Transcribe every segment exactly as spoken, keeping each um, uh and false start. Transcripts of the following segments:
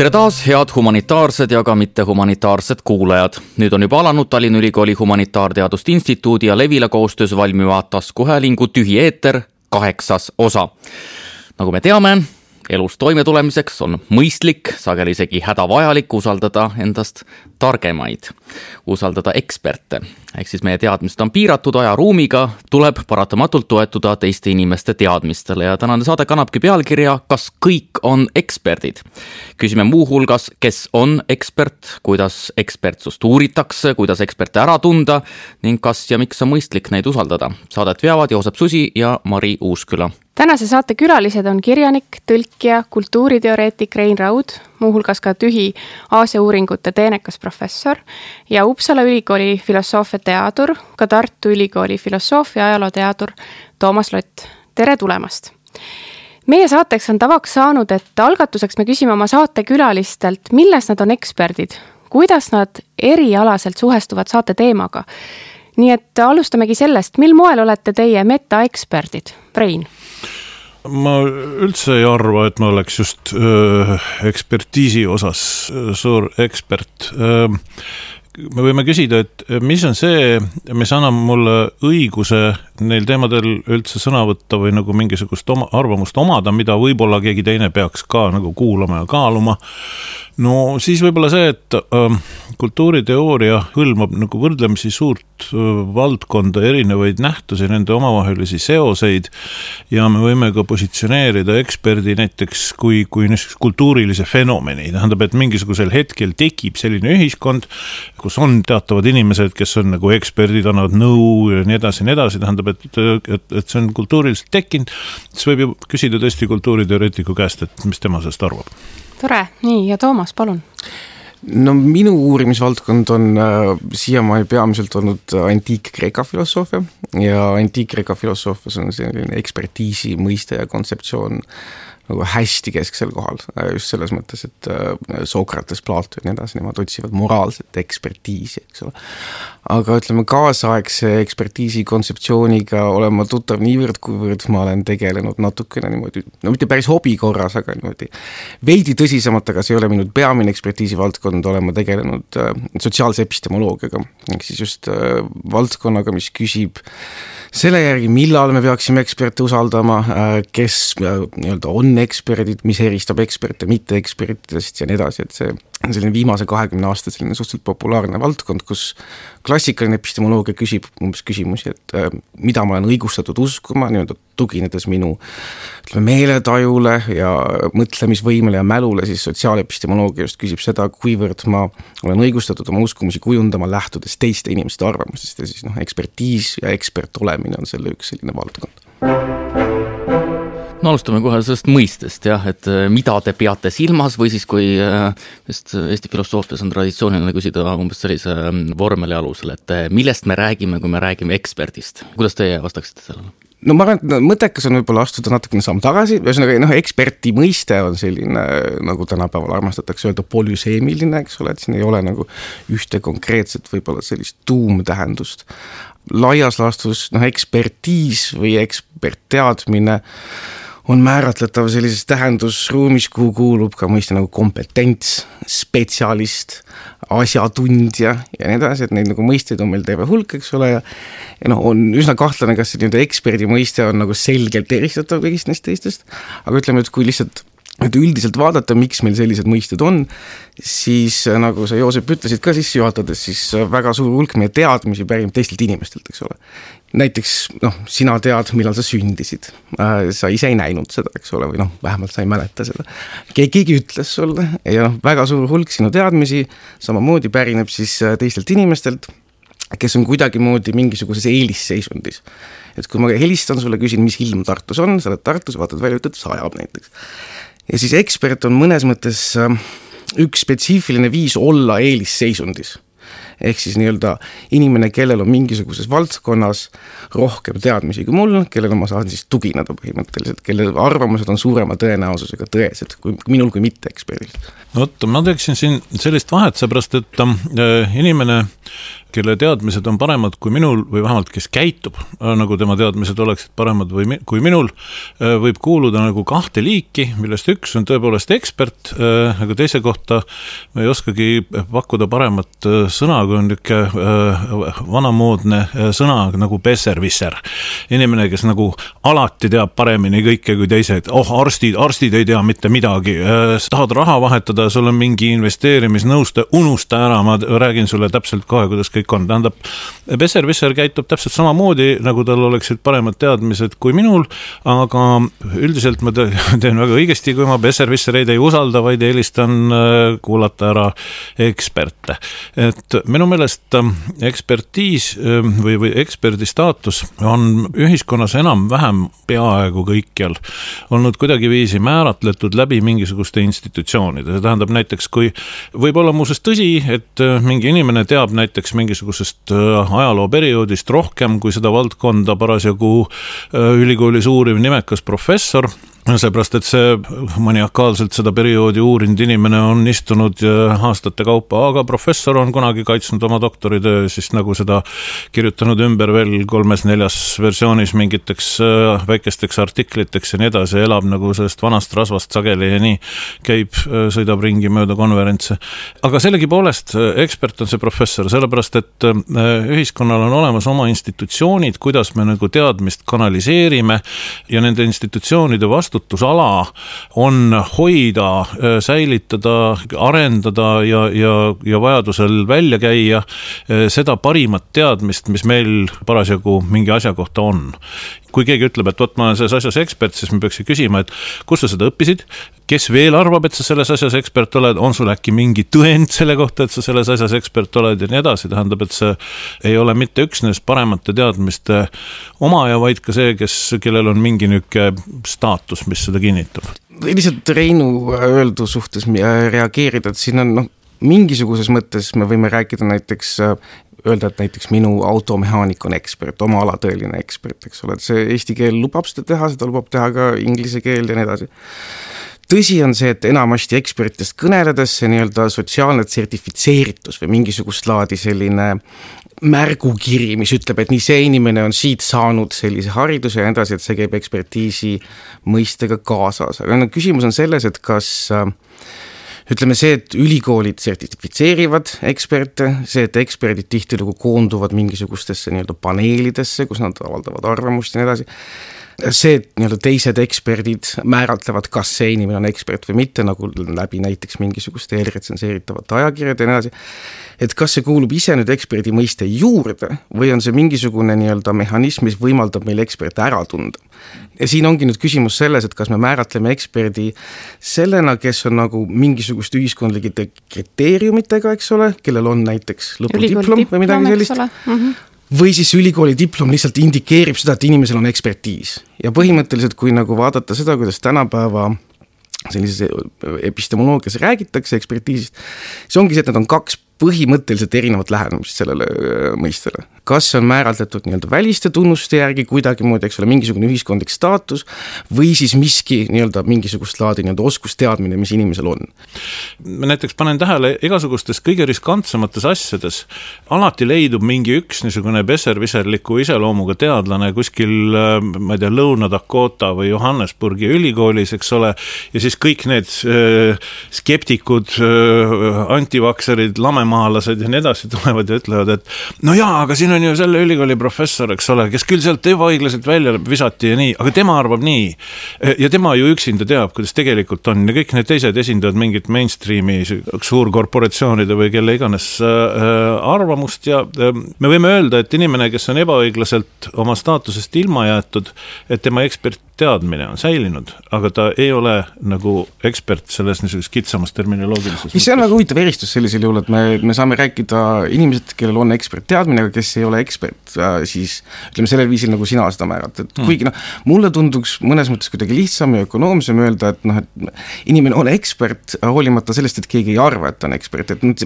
Tere taas, head humanitaarsed ja ka mitte humanitaarsed kuulajad. Nüüd on juba alanud Tallinna Ülikooli Humanitaarteaduste Instituudi ja Levila koostöös valmiva taskuhäälingu Tühi eeter kaheksas osa. Nagu me teame, elus toimetulemiseks on mõistlik, sageli isegi hädavajalik usaldada endast targemaid, usaldada eksperte. Ehk siis meie teadmised on piiratud aja ruumiga, tuleb paratamatult toetuda teiste inimeste teadmistele ja tänane saade kannabki pealkirja Kas kõik on eksperdid? Küsime muu hulgas, kes on ekspert, kuidas ekspertsust uuritakse, kuidas eksperte ära tunda ning kas ja miks on mõistlik neid usaldada. Saadet veavad Joosep Susi ja Mari Uusküla. Tänase saate külalised on kirjanik, tõlkija, kultuuriteoreetik Rein Raud, muuhulgas ka Tühi Aasia uuringute teenekas professor ja Uppsala Ülikooli filosoofia teadur, ka Tartu Ülikooli filosoofia ajaloo teadur Toomas Lott. Tere tulemast! Meie saateks on tavaks saanud, et algatuseks me küsime oma saate külalistelt, milles nad on eksperdid, kuidas nad erialaselt suhestuvad saate teemaga. Nii et alustamegi sellest, mil moel olete teie metaeksperdid? Rein? Ma üldse ei arva, et ma oleks just öö, ekspertiisi osas suur ekspert. Öö, me võime küsida, et mis on see, mis annab mulle õiguse neil teemadel üldse sõna võtta või nagu mingisugust oma, arvamust omada, mida võib-olla keegi teine peaks ka nagu kuulama ja kaaluma. No siis võib-olla see, et äh, kultuuriteooria hõlmab nagu võrdlemisi suurt äh, valdkonda erinevaid nähtusi, nende omavahelisi seoseid ja me võime ka positsioneerida eksperdi näiteks kui, kui kultuurilise fenomeni. Tähendab, et mingisugusel hetkel tekib selline ühiskond, kus on teatavad inimesed, kes on nagu eksperdid, annavad nõu ja nii edasi, nii edasi. Tähendab, et, et, et see on kultuuriliselt tekkinud. Siis võib ju küsida tõesti kultuuriteoreetiku käest, et mis tema sellest arvab. Tore, nii ja Toomas, palun. No minu uurimisvaldkond on äh, siiamaani peamiselt olnud antiik-Kreeka filosoofia ja antiik-Kreeka filosoofias on selline ekspertiisi mõiste ja kontseptsioon nagu hästi kesksel kohal, just selles mõttes, et Sokrates, Plato ja nii edasi, nemad otsivad moraalset ekspertiisi, eks ole. Aga ütleme, kaasaegse ekspertiisi kontseptsiooniga olen ma tuttav niivõrd, kuivõrd ma olen tegelenud natukene niimoodi, no mitte päris hobi korras, aga niimoodi veidi tõsisemalt, aga see ei ole minu peamine ekspertiisi valdkond, olen ma tegelenud sotsiaalse epistemoloogiaga, ehk siis just valdkonnaga, mis küsib selle järgi, millal me peaksime eksperte usaldama, kes nii-öelda on eksperdid, mis eristab eksperte mitte ekspertidest ja nii edasi, et see on selline viimase kahekümne aasta selline suhteliselt populaarne valdkond, kus klassikaline epistemoloogia küsib umbes küsimusi, et äh, mida ma olen õigustatud uskuma, nii-öelda tuginedes minu ütleme, meeletajule ja mõtlemisvõimele ja mälule, siis sotsiaalepistemoloogia just küsib seda, kuivõrd ma olen õigustatud oma uskumusi kujundama lähtudes teiste inimeste arvamusest ja siis noh, ekspertiis ja ekspert olemine on selle üks selline valdkond. No alustame kohe sellest mõistest, jah, et mida te peate silmas või siis kui just Eesti filosoofias on traditsiooniline küsida umbes sellise vormeli alusel, et millest me räägime, kui me räägime eksperdist. Kuidas teie vastaksite sellele? No ma arvan, et mõttekas on võib-olla astuda natukene samm tagasi, ühesõnaga, noh, eksperti mõiste on selline, nagu tänapäeval armastatakse öelda, polüseemiline, eks ole, et siin ei ole nagu ühte konkreetset võib-olla sellist tuumtähendust. Laias laastus, noh, ekspertiis või ekspertteadmine on määratletav sellises tähendusruumis, kuhu kuulub ka mõiste nagu kompetents, spetsialist, asjatundja ja nii edasi, et neid nagu mõisteid on meil terve hulk, eks ole, ja, ja noh, on üsna kahtlane, kas see nii-öelda eksperdi mõiste on nagu selgelt eristatav kõigist neist teistest, aga ütleme, et kui lihtsalt et üldiselt vaadata, miks meil sellised mõisted on, siis nagu sa Joosep ütlesid ka sisse juhatades, siis väga suur hulk meie teadmisi pärineb teistelt inimestelt, eks ole. Näiteks, noh, sina tead, millal sa sündisid. Sa ise ei näinud seda, eks ole, või noh, vähemalt sa ei mäleta seda. Keegi ütles sulle ja noh, väga suur hulk sinu teadmisi samamoodi pärineb siis teistelt inimestelt, kes on kuidagi moodi mingisuguses eelisseisundis. Et kui ma helistan sulle, küsin, mis ilm Tartus on, sa oled Tartus, vaatad välja, ütled, sajab näiteks. Ja siis ekspert on mõnes mõttes üks spetsiifiline viis olla eelisseisundis. Ehk siis nii-öelda inimene, kellel on mingisuguses valdkonnas rohkem teadmisi kui mul, kellel ma saan siis tugineda põhimõtteliselt, kelle arvamused on suurema tõenäosusega tõesed kui minul kui mitte eksperdil. No, ma teeksin siin sellist vahet, seepärast, et äh, inimene kelle teadmised on paremad kui minul või vähemalt kes käitub, nagu tema teadmised oleksid paremad või kui minul, võib kuuluda nagu kahte liiki, millest üks on tõepoolest ekspert, aga teise kohta me ei oskagi pakkuda paremat sõna, kui on niisugune vanamoodne sõna nagu besserwisser. Inimene, kes nagu alati teab paremini kõike kui teised. Oh, arstid, arstid ei tea mitte midagi. Tahad raha vahetada, sul on mingi investeerimisnõuste, unusta ära, ma räägin sulle täpselt kohe, kuidas kõik on. Tähendab, besserwisser käitub täpselt samamoodi, nagu tal oleksid paremad teadmised kui minul, aga üldiselt ma teen väga õigesti, kui ma besserwissereid ei usalda, vaid eelistan kuulata ära eksperte. Et minu meelest ekspertiis või, või eksperdi staatus on ühiskonnas enam-vähem peaaegu kõikjal olnud kuidagiviisi määratletud läbi mingisuguste institutsioonide. See tähendab näiteks, kui võib olla muuseas tõsi, et mingi inimene teab näiteks mingisugusest ajalooperioodist rohkem kui seda valdkonda parasjagu ülikoolis uuriv nimekas professor, seepärast, et see maniakaalselt seda perioodi uurinud inimene on istunud aastate kaupa, aga professor on kunagi kaitsnud oma doktoritöö, siis nagu seda kirjutanud ümber veel kolmes-neljas versioonis mingiteks väikesteks artikliteks ja nii edasi, elab nagu sellest vanast rasvast sageli ja nii käib, sõidab ringi mööda konverentse. Aga sellegi poolest ekspert on see professor, sellepärast, et ühiskonnal on olemas oma institutsioonid, kuidas me nagu teadmist kanaliseerime ja nende institutsioonide vastu vastutusala on hoida, säilitada, arendada ja, ja, ja vajadusel välja käia seda parimat teadmist, mis meil parasjagu mingi asja kohta on. Kui keegi ütleb, et võt, ma olen selles asjas ekspert, siis me peaks küsima, et kus sa seda õppisid, kes veel arvab, et sa selles asjas ekspert oled, on sul äkki mingi tõend selle kohta, et sa selles asjas ekspert oled ja nii edasi, tähendab, et see ei ole mitte üksnes paremate teadmiste omaja, vaid ka see, kes, kellel on mingi niuke staatus, mis seda kinnitab. Lihtsalt Reinu öeldu suhtes reageerida, et siin on noh, mingisuguses mõttes me võime rääkida näiteks öelda, et näiteks minu automehaanik on ekspert, oma ala tõeline ekspert, eks ole, et see eesti keel lubab seda teha, seda lubab teha ka inglise keel ja nii edasi. Tõsi on see, et enamasti ekspertidest kõneledes see nii-öelda sotsiaalne sertifitseeritus või mingisugust laadi selline märgukiri, mis ütleb, et nii see inimene on siit saanud sellise hariduse ja nii edasi, et see käib ekspertiisi mõistega kaasas. Aga küsimus on selles, et kas ütleme see, et ülikoolid sertifitseerivad eksperte, see, et eksperdid tihtilugu koonduvad mingisugustesse nii-öelda paneelidesse, kus nad avaldavad arvamust ja nii edasi. See, et nii-öelda teised eksperdid määratlevad, kas see inimene on ekspert või mitte, nagu läbi näiteks mingisuguste eelretsenseeritavate ajakirjad ja nii edasi. Et kas see kuulub ise nüüd eksperdi mõiste juurde või on see mingisugune nii-öelda mehhanism, mis võimaldab meil eksperte ära tunda. Ja siin ongi nüüd küsimus selles, et kas me määratleme eksperdi sellena, kes on nagu mingisugust ühiskondlikite kriteeriumitega, eks ole, kellel on näiteks lõpudiplom või midagi sellist. Mm-hmm. Või siis ülikooli diplom lihtsalt indikeerib seda, et inimesel on ekspertiis. Ja põhimõtteliselt, kui nagu vaadata seda, kuidas tänapäeva sellises epistemoloogias räägitakse ekspertiisist, see ongi see, et need on kaks põhimõtteliselt erinevat lähenemist sellele mõistele. Kas on määratletud nii-öelda väliste tunnuste järgi kuidagi muud, eks ole, mingisugune ühiskondlik staatus või siis miski nii-öelda mingisugust laadi nii-öelda oskusteadmine, mis inimesel on. Ma näiteks panen tähele igasugustes kõige riskantsemates asjades alati leidub mingi üks niisugune besserwisserliku iseloomuga teadlane kuskil, ma ei tea, Lõuna-Dakota või Johannesburgi ülikoolis, eks ole, ja siis kõik need skeptikud, antivakserid, lamemaalased ja nii edasi tulevad ja ütlevad, et no jaa, aga siin on ju selle ülikooli professor, eks ole, kes küll sealt ebaõiglaselt välja visati ja nii, aga tema arvab nii. Ja tema ju üksinda teab, kuidas tegelikult on. Ja kõik need teised esindavad mingit mainstreami suurkorporatsioonide või kelle iganes arvamust. Ja me võime öelda, et inimene, kes on ebaõiglaselt oma staatusest ilma jäetud, et tema ekspertteadmine on säilinud, aga ta ei ole nagu ekspert selles niisuguses kitsamas terminoloogilises. See on väga huvitav eristus sellisel juhul, et me, me saame rääkida inimesed, kellel on ekspertteadmine, aga kes ei ole ekspert, siis ütleme sellel viisil, nagu sina seda määrad. Et mm. kuigi noh, mulle tunduks mõnes mõttes kuidagi lihtsam ja ökonoomsem öelda, et noh, et inimene on ekspert, hoolimata sellest, et keegi ei arva, et ta on ekspert. Et nüüd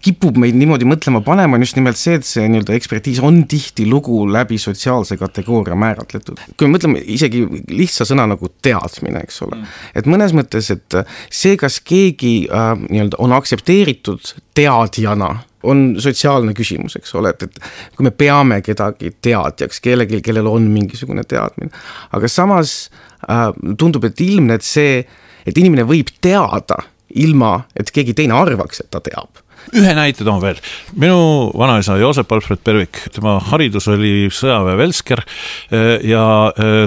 kipub meid niimoodi mõtlema panema just nimelt see, et see nii-öelda ekspertiis on tihti lugu läbi sotsiaalse kategooria määratletud. Kui me mõtleme isegi lihtsa sõna nagu teadmine, eks ole. Et mõnes mõttes, et see, kas keegi äh, nii-öelda on aktsepteeritud teadjana, on sotsiaalne küsimus, eks ole, et, et kui me peame kedagi teadjaks, kellelgi, kellel on mingisugune teadmine. Aga samas äh, tundub, et ilmne, et see, et inimene võib teada ilma, et keegi teine arvaks, et ta teab. Ühe näite toon veel. Minu vanaisa Joosep Alfred Pervik, tema haridus oli sõjaväe velsker ja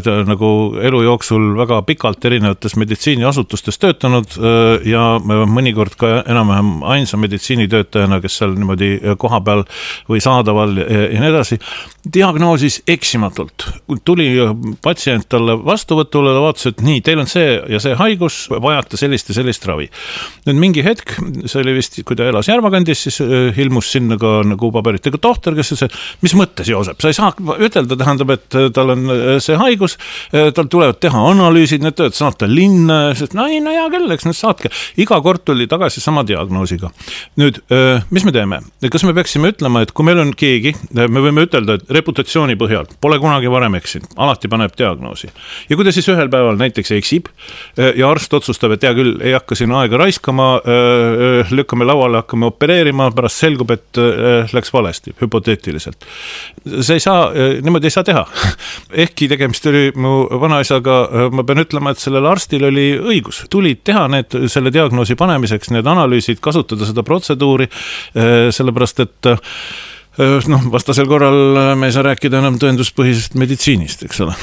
ta nagu elu jooksul väga pikalt erinevates meditsiiniasutustes töötanud ja mõnikord ka enam-vähem ainsa meditsiinitöötajana, kes seal niimoodi koha peal või saadaval ja nii edasi, diagnoosis eksimatult. Tuli patsient talle vastuvõtule, ta vaatas, et nii, teil on see ja see haigus, vajate sellist ja sellist ravi. Nüüd mingi hetk, see oli vist, kui ta elas Järvakandis, siis ilmus sinna ka nagu paberitega tohter, kes ütles, mis mõttes, Joosep, sa ei saa ütelda, tähendab, et tal on see haigus, tal tulevad teha analüüsid, need tööd saata linna, sest no ei, no hea küll, eks need saatke. Iga kord tuli tagasi sama diagnoosiga. Nüüd, mis me teeme? Kas me peaksime ütlema, et kui meil on keegi, me võime ütelda, et reputatsiooni põhjal pole kunagi varem eksinud, alati paneb diagnoosi. Ja kui ta siis ühel päeval näiteks eksib ja arst otsustab, et hea küll, ei hakka siin aega raiskama, lükkame lauale, hakkame opereerima, pärast selgub, et läks valesti, hüpoteetiliselt. See ei saa, niimoodi ei saa teha. Ehkki tegemist oli mu vanaisaga, ma pean ütlema, et sellel arstil oli õigus. Tulid teha need, selle diagnoosi panemiseks, need analüüsid, kasutada seda protseduuri, sellepärast, et noh, vastasel korral me ei saa rääkida enam tõenduspõhisest meditsiinist, eks ole.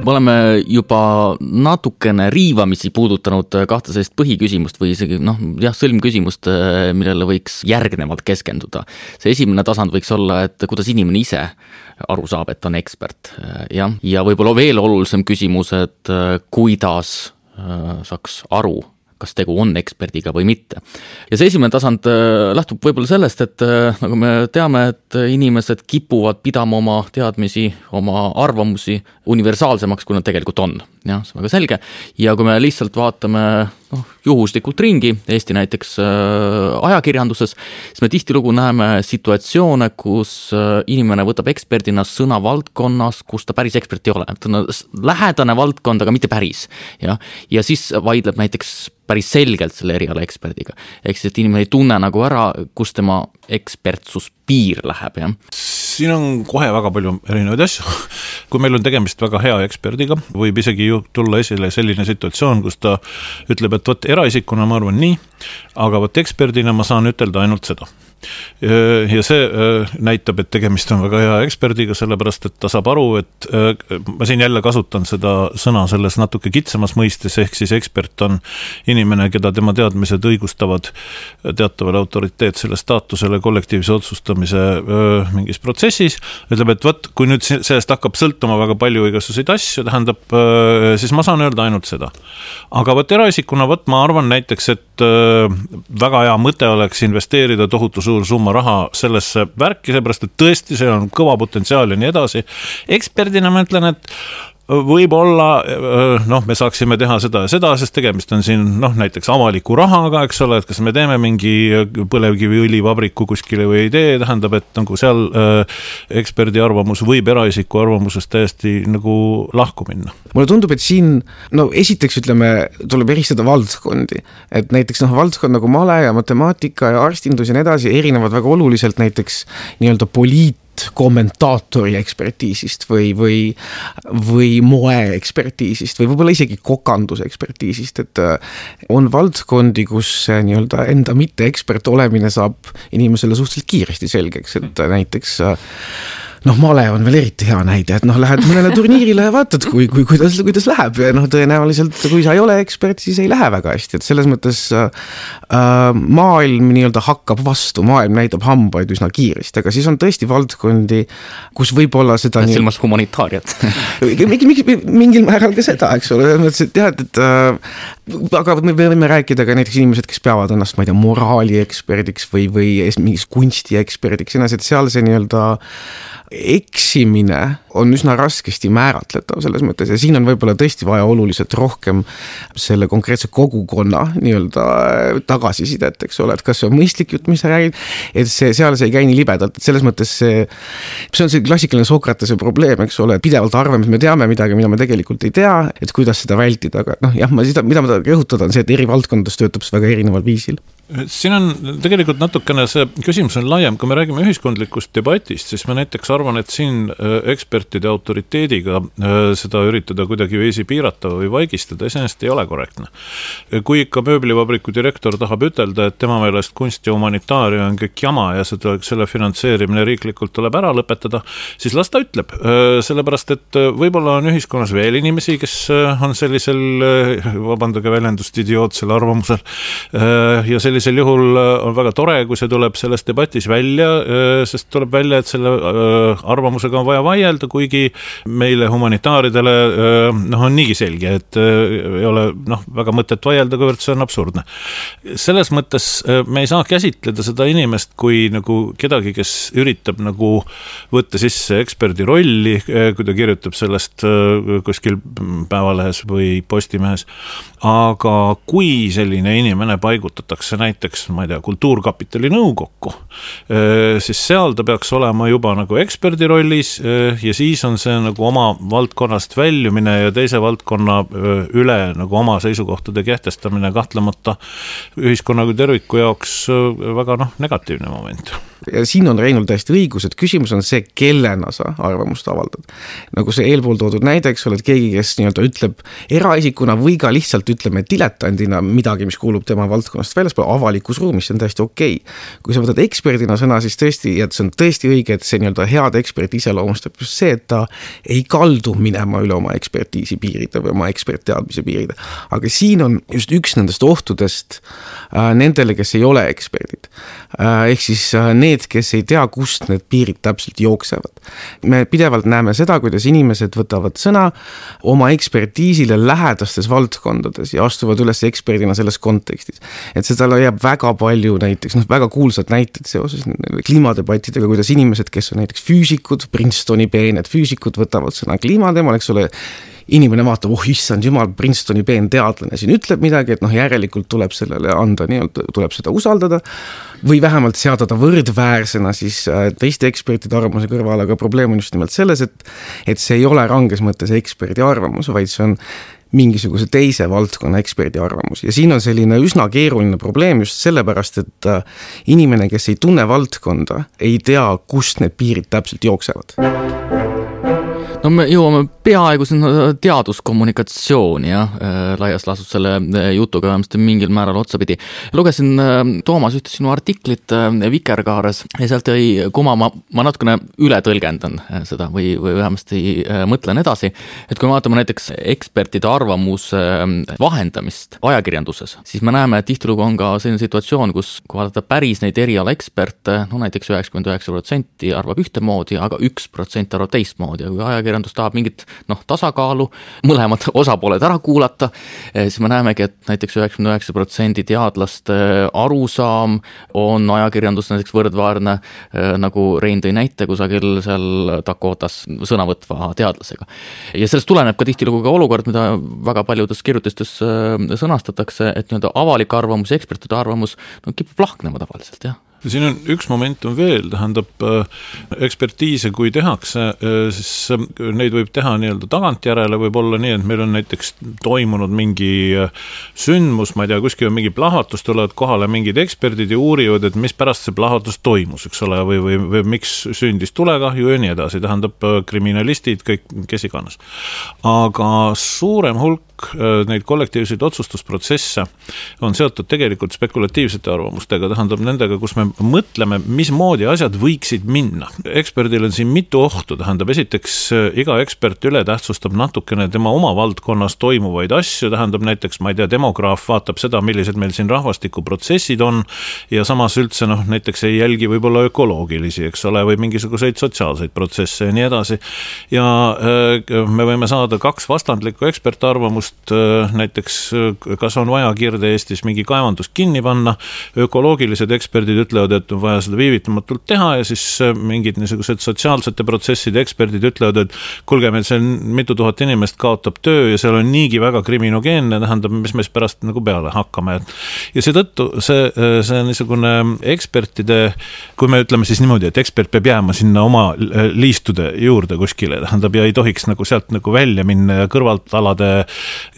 Me oleme juba natukene riivamisi puudutanud kahte sellist põhiküsimust või isegi noh, jah, sõlmküsimust, millele võiks järgnevalt keskenduda. See esimene tasand võiks olla, et kuidas inimene ise aru saab, et on ekspert. Ja, ja võib-olla veel olulisem küsimus, et kuidas saaks aru, kas tegu on eksperdiga või mitte. Ja see esimene tasand lähtub võib-olla sellest, et nagu me teame, et inimesed kipuvad pidama oma teadmisi, oma arvamusi universaalsemaks, kui nad tegelikult on. Ja, see on väga selge. Ja kui me lihtsalt vaatame noh, juhuslikult ringi, Eesti näiteks äh, ajakirjanduses, siis me tihtilugu näeme situatsioone, kus äh, inimene võtab eksperdina sõna valdkonnas, kus ta päris ekspert ei ole. Ta on lähedane valdkond, aga mitte päris. Ja, ja siis vaidleb näiteks päris selgelt selle eriala eksperdiga. Ehk siis, et inimene ei tunne nagu ära, kus tema ekspertsus piir läheb. Ja? Siin on kohe väga palju erinevaid asju. Kui meil on tegemist väga hea eksperdiga, võib isegi ju tulla esile selline situatsioon, kus ta ütleb, et võt eraisikuna ma arvan nii, aga võt eksperdina ma saan ütelda ainult seda. Ja see näitab, et tegemist on väga hea eksperdiga, sellepärast, et ta saab aru, et ma siin jälle kasutan seda sõna selles natuke kitsamas mõistes, ehk siis ekspert on inimene, keda tema teadmised õigustavad teatavale autoriteetsele staatusele kollektiivse otsustamise mingis protsessis, ütleb, et võt, kui nüüd sellest hakkab sõltuma väga palju igasuseid asju, tähendab, siis ma saan öelda ainult seda. Aga võt eraisikuna, võt ma arvan näiteks, et väga hea mõte oleks investeerida tohutu suur summa raha sellesse värki, seepärast, et tõesti see on kõva potentsiaal ja nii edasi. Eksperdina ma ütlen, et võib-olla, noh, me saaksime teha seda ja seda, sest tegemist on siin, noh, näiteks avaliku rahaga, eks ole, et kas me teeme mingi põlevkivi õlivabriku kuskile või ei tee, tähendab, et nagu seal äh, eksperdi arvamus võib eraisiku arvamusest täiesti nagu lahku minna. Mulle tundub, et siin, no esiteks ütleme, tuleb eristada valdkondi, et näiteks noh, valdkond nagu male ja matemaatika ja arstindus ja nii edasi erinevad väga oluliselt näiteks nii-öelda poliit kommentaatori ekspertiisist või, või, või moe ekspertiisist või võib-olla isegi kokanduse ekspertiisist, et on valdkondi, kus nii-öelda enda mitte ekspert olemine saab inimesele suhteliselt kiiresti selgeks, et näiteks noh, male on veel eriti hea näide, et noh, lähed mõnele turniirile ja vaatad, kui, kui, kuidas, kuidas läheb ja noh, tõenäoliselt, kui sa ei ole ekspert, siis ei lähe väga hästi, et selles mõttes äh, maailm nii-öelda hakkab vastu, maailm näitab hambaid üsna kiiresti, aga siis on tõesti valdkondi, kus võib-olla seda nii... silmas humanitaariat. mingil määral ka seda, eks ole, et tead, et äh, aga me võime rääkida ka näiteks inimesed, kes peavad ennast, ma ei tea, moraali eksperdiks või, või mingis kunsti eksperdiks, et seal see nii-öelda eksimine on üsna raskesti määratletav selles mõttes ja siin on võib-olla tõesti vaja oluliselt rohkem selle konkreetse kogukonna nii-öelda tagasisidet, eks ole, et kas see on mõistlik jutt, mis sa räägid, et see, seal see ei käi nii libedalt, et selles mõttes see, see on see klassikaline Sokratese probleem, eks ole, pidevalt arvame, et me teame midagi, mida me tegelikult ei tea, et kuidas seda vältida, aga noh, jah, ma seda, mida ma rõhutada on see, et eri valdkondades töötab see väga erineval viisil. Siin on tegelikult natukene see küsimus on laiem, kui me räägime ühiskondlikust debatist, siis ma näiteks arvan, et siin ekspertide autoriteediga seda üritada kuidagi viisi piirata või vaigistada, iseenesest ei ole korrektne. Kui ikka mööblivabriku direktor tahab ütelda, et tema meelest kunst ja humanitaaria on kõik jama ja seda, selle finantseerimine riiklikult tuleb ära lõpetada, siis las ta ütleb, sellepärast, et võib-olla on ühiskonnas veel inimesi, kes on sellisel, vabandage väljendust, idiootsel arvamusel ja sellisel sellisel juhul on väga tore, kui see tuleb selles debatis välja, sest tuleb välja, et selle arvamusega on vaja vaielda, kuigi meile humanitaaridele noh, on niigi selge, et ei ole noh, väga mõtet vaielda, kuivõrd see on absurdne. Selles mõttes me ei saa käsitleda seda inimest kui nagu kedagi, kes üritab nagu võtta sisse eksperdi rolli, kui ta kirjutab sellest kuskil Päevalehes või Postimehes. Aga kui selline inimene paigutatakse näiteks, ma ei tea, kultuurkapitali nõukokku, siis seal ta peaks olema juba nagu eksperdi rollis ja siis on see nagu oma valdkonnast väljumine ja teise valdkonna üle nagu oma seisukohtade kehtestamine kahtlemata ühiskonna kui terviku jaoks väga noh, negatiivne moment. Ja siin on Reinul täiesti õigus, et küsimus on see, kellena sa arvamust avaldad. Nagu see eelpool toodud näiteks, oled keegi, kes nii-öelda ütleb eraisikuna või ka lihtsalt ütleme diletandina midagi, mis kuulub tema valdkonnast väljaspool avalikus ruumis, see on täiesti okei. Kui sa võtad eksperdina sõna, siis tõesti, ja see on tõesti õige, et see nii-öelda head ekspert iseloomustab just see, et ta ei kaldu minema üle oma ekspertiisi piiride või oma ekspertteadmise piiride. Aga siin on just üks nendest ohtudest äh, nendele, kes ei ole eksperdid. Äh, ehk siis äh, need Need, kes ei tea, kust need piirid täpselt jooksevad. Me pidevalt näeme seda, kuidas inimesed võtavad sõna oma ekspertiisile lähedastes valdkondades ja astuvad üles eksperdina selles kontekstis. Et seda jääb väga palju näiteks, noh, väga kuulsad näited seoses kliimadebattidega, kuidas inimesed, kes on näiteks füüsikud, Princetoni peened füüsikud võtavad sõna kliimateemal, eks ole, inimene vaatab, oh issand jumal, Princetoni peen teadlane siin ütleb midagi, et noh, järelikult tuleb sellele anda, nii-öelda tuleb seda usaldada või vähemalt seada ta võrdväärsena siis teiste ekspertide arvamuse kõrval, aga probleem on just nimelt selles, et, et see ei ole ranges mõttes eksperdi arvamus, vaid see on mingisuguse teise valdkonna eksperdi arvamus. Ja siin on selline üsna keeruline probleem just sellepärast, et inimene, kes ei tunne valdkonda, ei tea, kust need piirid täpselt jooksevad. No me jõuame peaaegu sinna teaduskommunikatsiooni ja laias laastus selle jutuga vähemasti mingil määral otsapidi. Lugesin Toomas ühte sinu artiklit Vikerkaares ja sealt jäi kuma, ma, ma natukene üle tõlgendan seda või, või vähemasti mõtlen edasi, et kui me vaatame näiteks ekspertide arvamuse vahendamist ajakirjanduses, siis me näeme, et tihtilugu on ka selline situatsioon, kus kui vaadata päris neid eriala eksperte, no näiteks üheksakümmend üheksa protsenti arvab ühtemoodi, aga üks protsent arvab teistmoodi ja kui ajakirjandus tahab mingit noh, tasakaalu, mõlemad osapooled ära kuulata, siis me näemegi, et näiteks üheksakümmend üheksa protsenti teadlaste arusaam on ajakirjandus näiteks võrdvaarne, nagu Rein tõi näite kusagil seal Dakotas sõnavõtva teadlasega. Ja sellest tuleneb ka tihtilugu ka olukord, mida väga paljudes kirjutistes sõnastatakse, et nii-öelda avalik arvamus ja ekspertide arvamus no, kipub lahknema tavaliselt, jah. Siin on üks momentum veel, tähendab ekspertiise, kui tehakse, siis neid võib teha nii-öelda tagantjärele, võib olla nii, et meil on näiteks toimunud mingi sündmus, ma ei tea, kuskil on mingi plahvatus, tulevad kohale mingid eksperdid ja uurivad, et mis pärast see plahvatus toimus, eks ole, või, või, või miks sündis tulekahju ja nii edasi, tähendab kriminalistid, kõik, kes iganes. Aga suurem hulk neid kollektiivseid otsustusprotsesse on seotud tegelikult spekulatiivsete arvamustega, tähendab nendega, kus me mõtleme, mismoodi asjad võiksid minna. Eksperdil on siin mitu ohtu, tähendab esiteks iga ekspert üle tähtsustab natukene tema oma valdkonnas toimuvaid asju, tähendab näiteks, ma ei tea, demograaf vaatab seda, millised meil siin rahvastikuprotsessid on ja samas üldse noh, näiteks ei jälgi võib-olla ökoloogilisi, eks ole, või mingisuguseid sotsiaalseid protsesse ja nii edasi. Ja me võime saada kaks vastandlikku ekspertarvamust, näiteks kas on vaja Kirde-Eestis mingi kaevandus kinni panna, ökoloogilised eksperdid ütlevad, ütlevad, et on vaja seda viivitamatult teha ja siis mingid niisugused sotsiaalsete protsesside eksperdid ütlevad, et kuulge, meil see mitu tuhat inimest kaotab töö ja seal on niigi väga kriminogeenne, tähendab, mis me pärast nagu peale hakkame. Ja seetõttu see, see niisugune ekspertide, kui me ütleme siis niimoodi, et ekspert peab jääma sinna oma liistude juurde kuskile, tähendab, ja ei tohiks nagu sealt nagu välja minna ja kõrvaltalade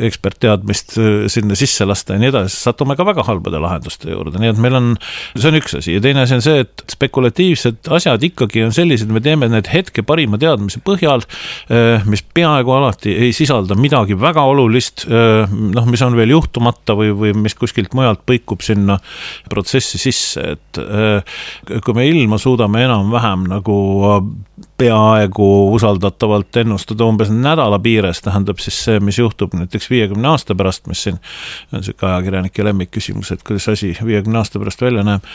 ekspertteadmist sinna sisse lasta ja nii edasi, satume ka väga halbade lahenduste juurde, nii et meil on, see on üks asi ja teine asi on see, et spekulatiivsed asjad ikkagi on sellised, me teeme need hetke parima teadmise põhjal, mis peaaegu alati ei sisalda midagi väga olulist, noh, mis on veel juhtumata või, või mis kuskilt mujalt põikub sinna protsessi sisse, et kui me ilma suudame enam-vähem nagu peaaegu usaldatavalt ennustada umbes nädala piires, tähendab siis see, mis juhtub näiteks viiekümne aasta pärast, mis siin on see ajakirjanike lemmikküsimus, et kuidas asi viiekümne aasta pärast välja näeb,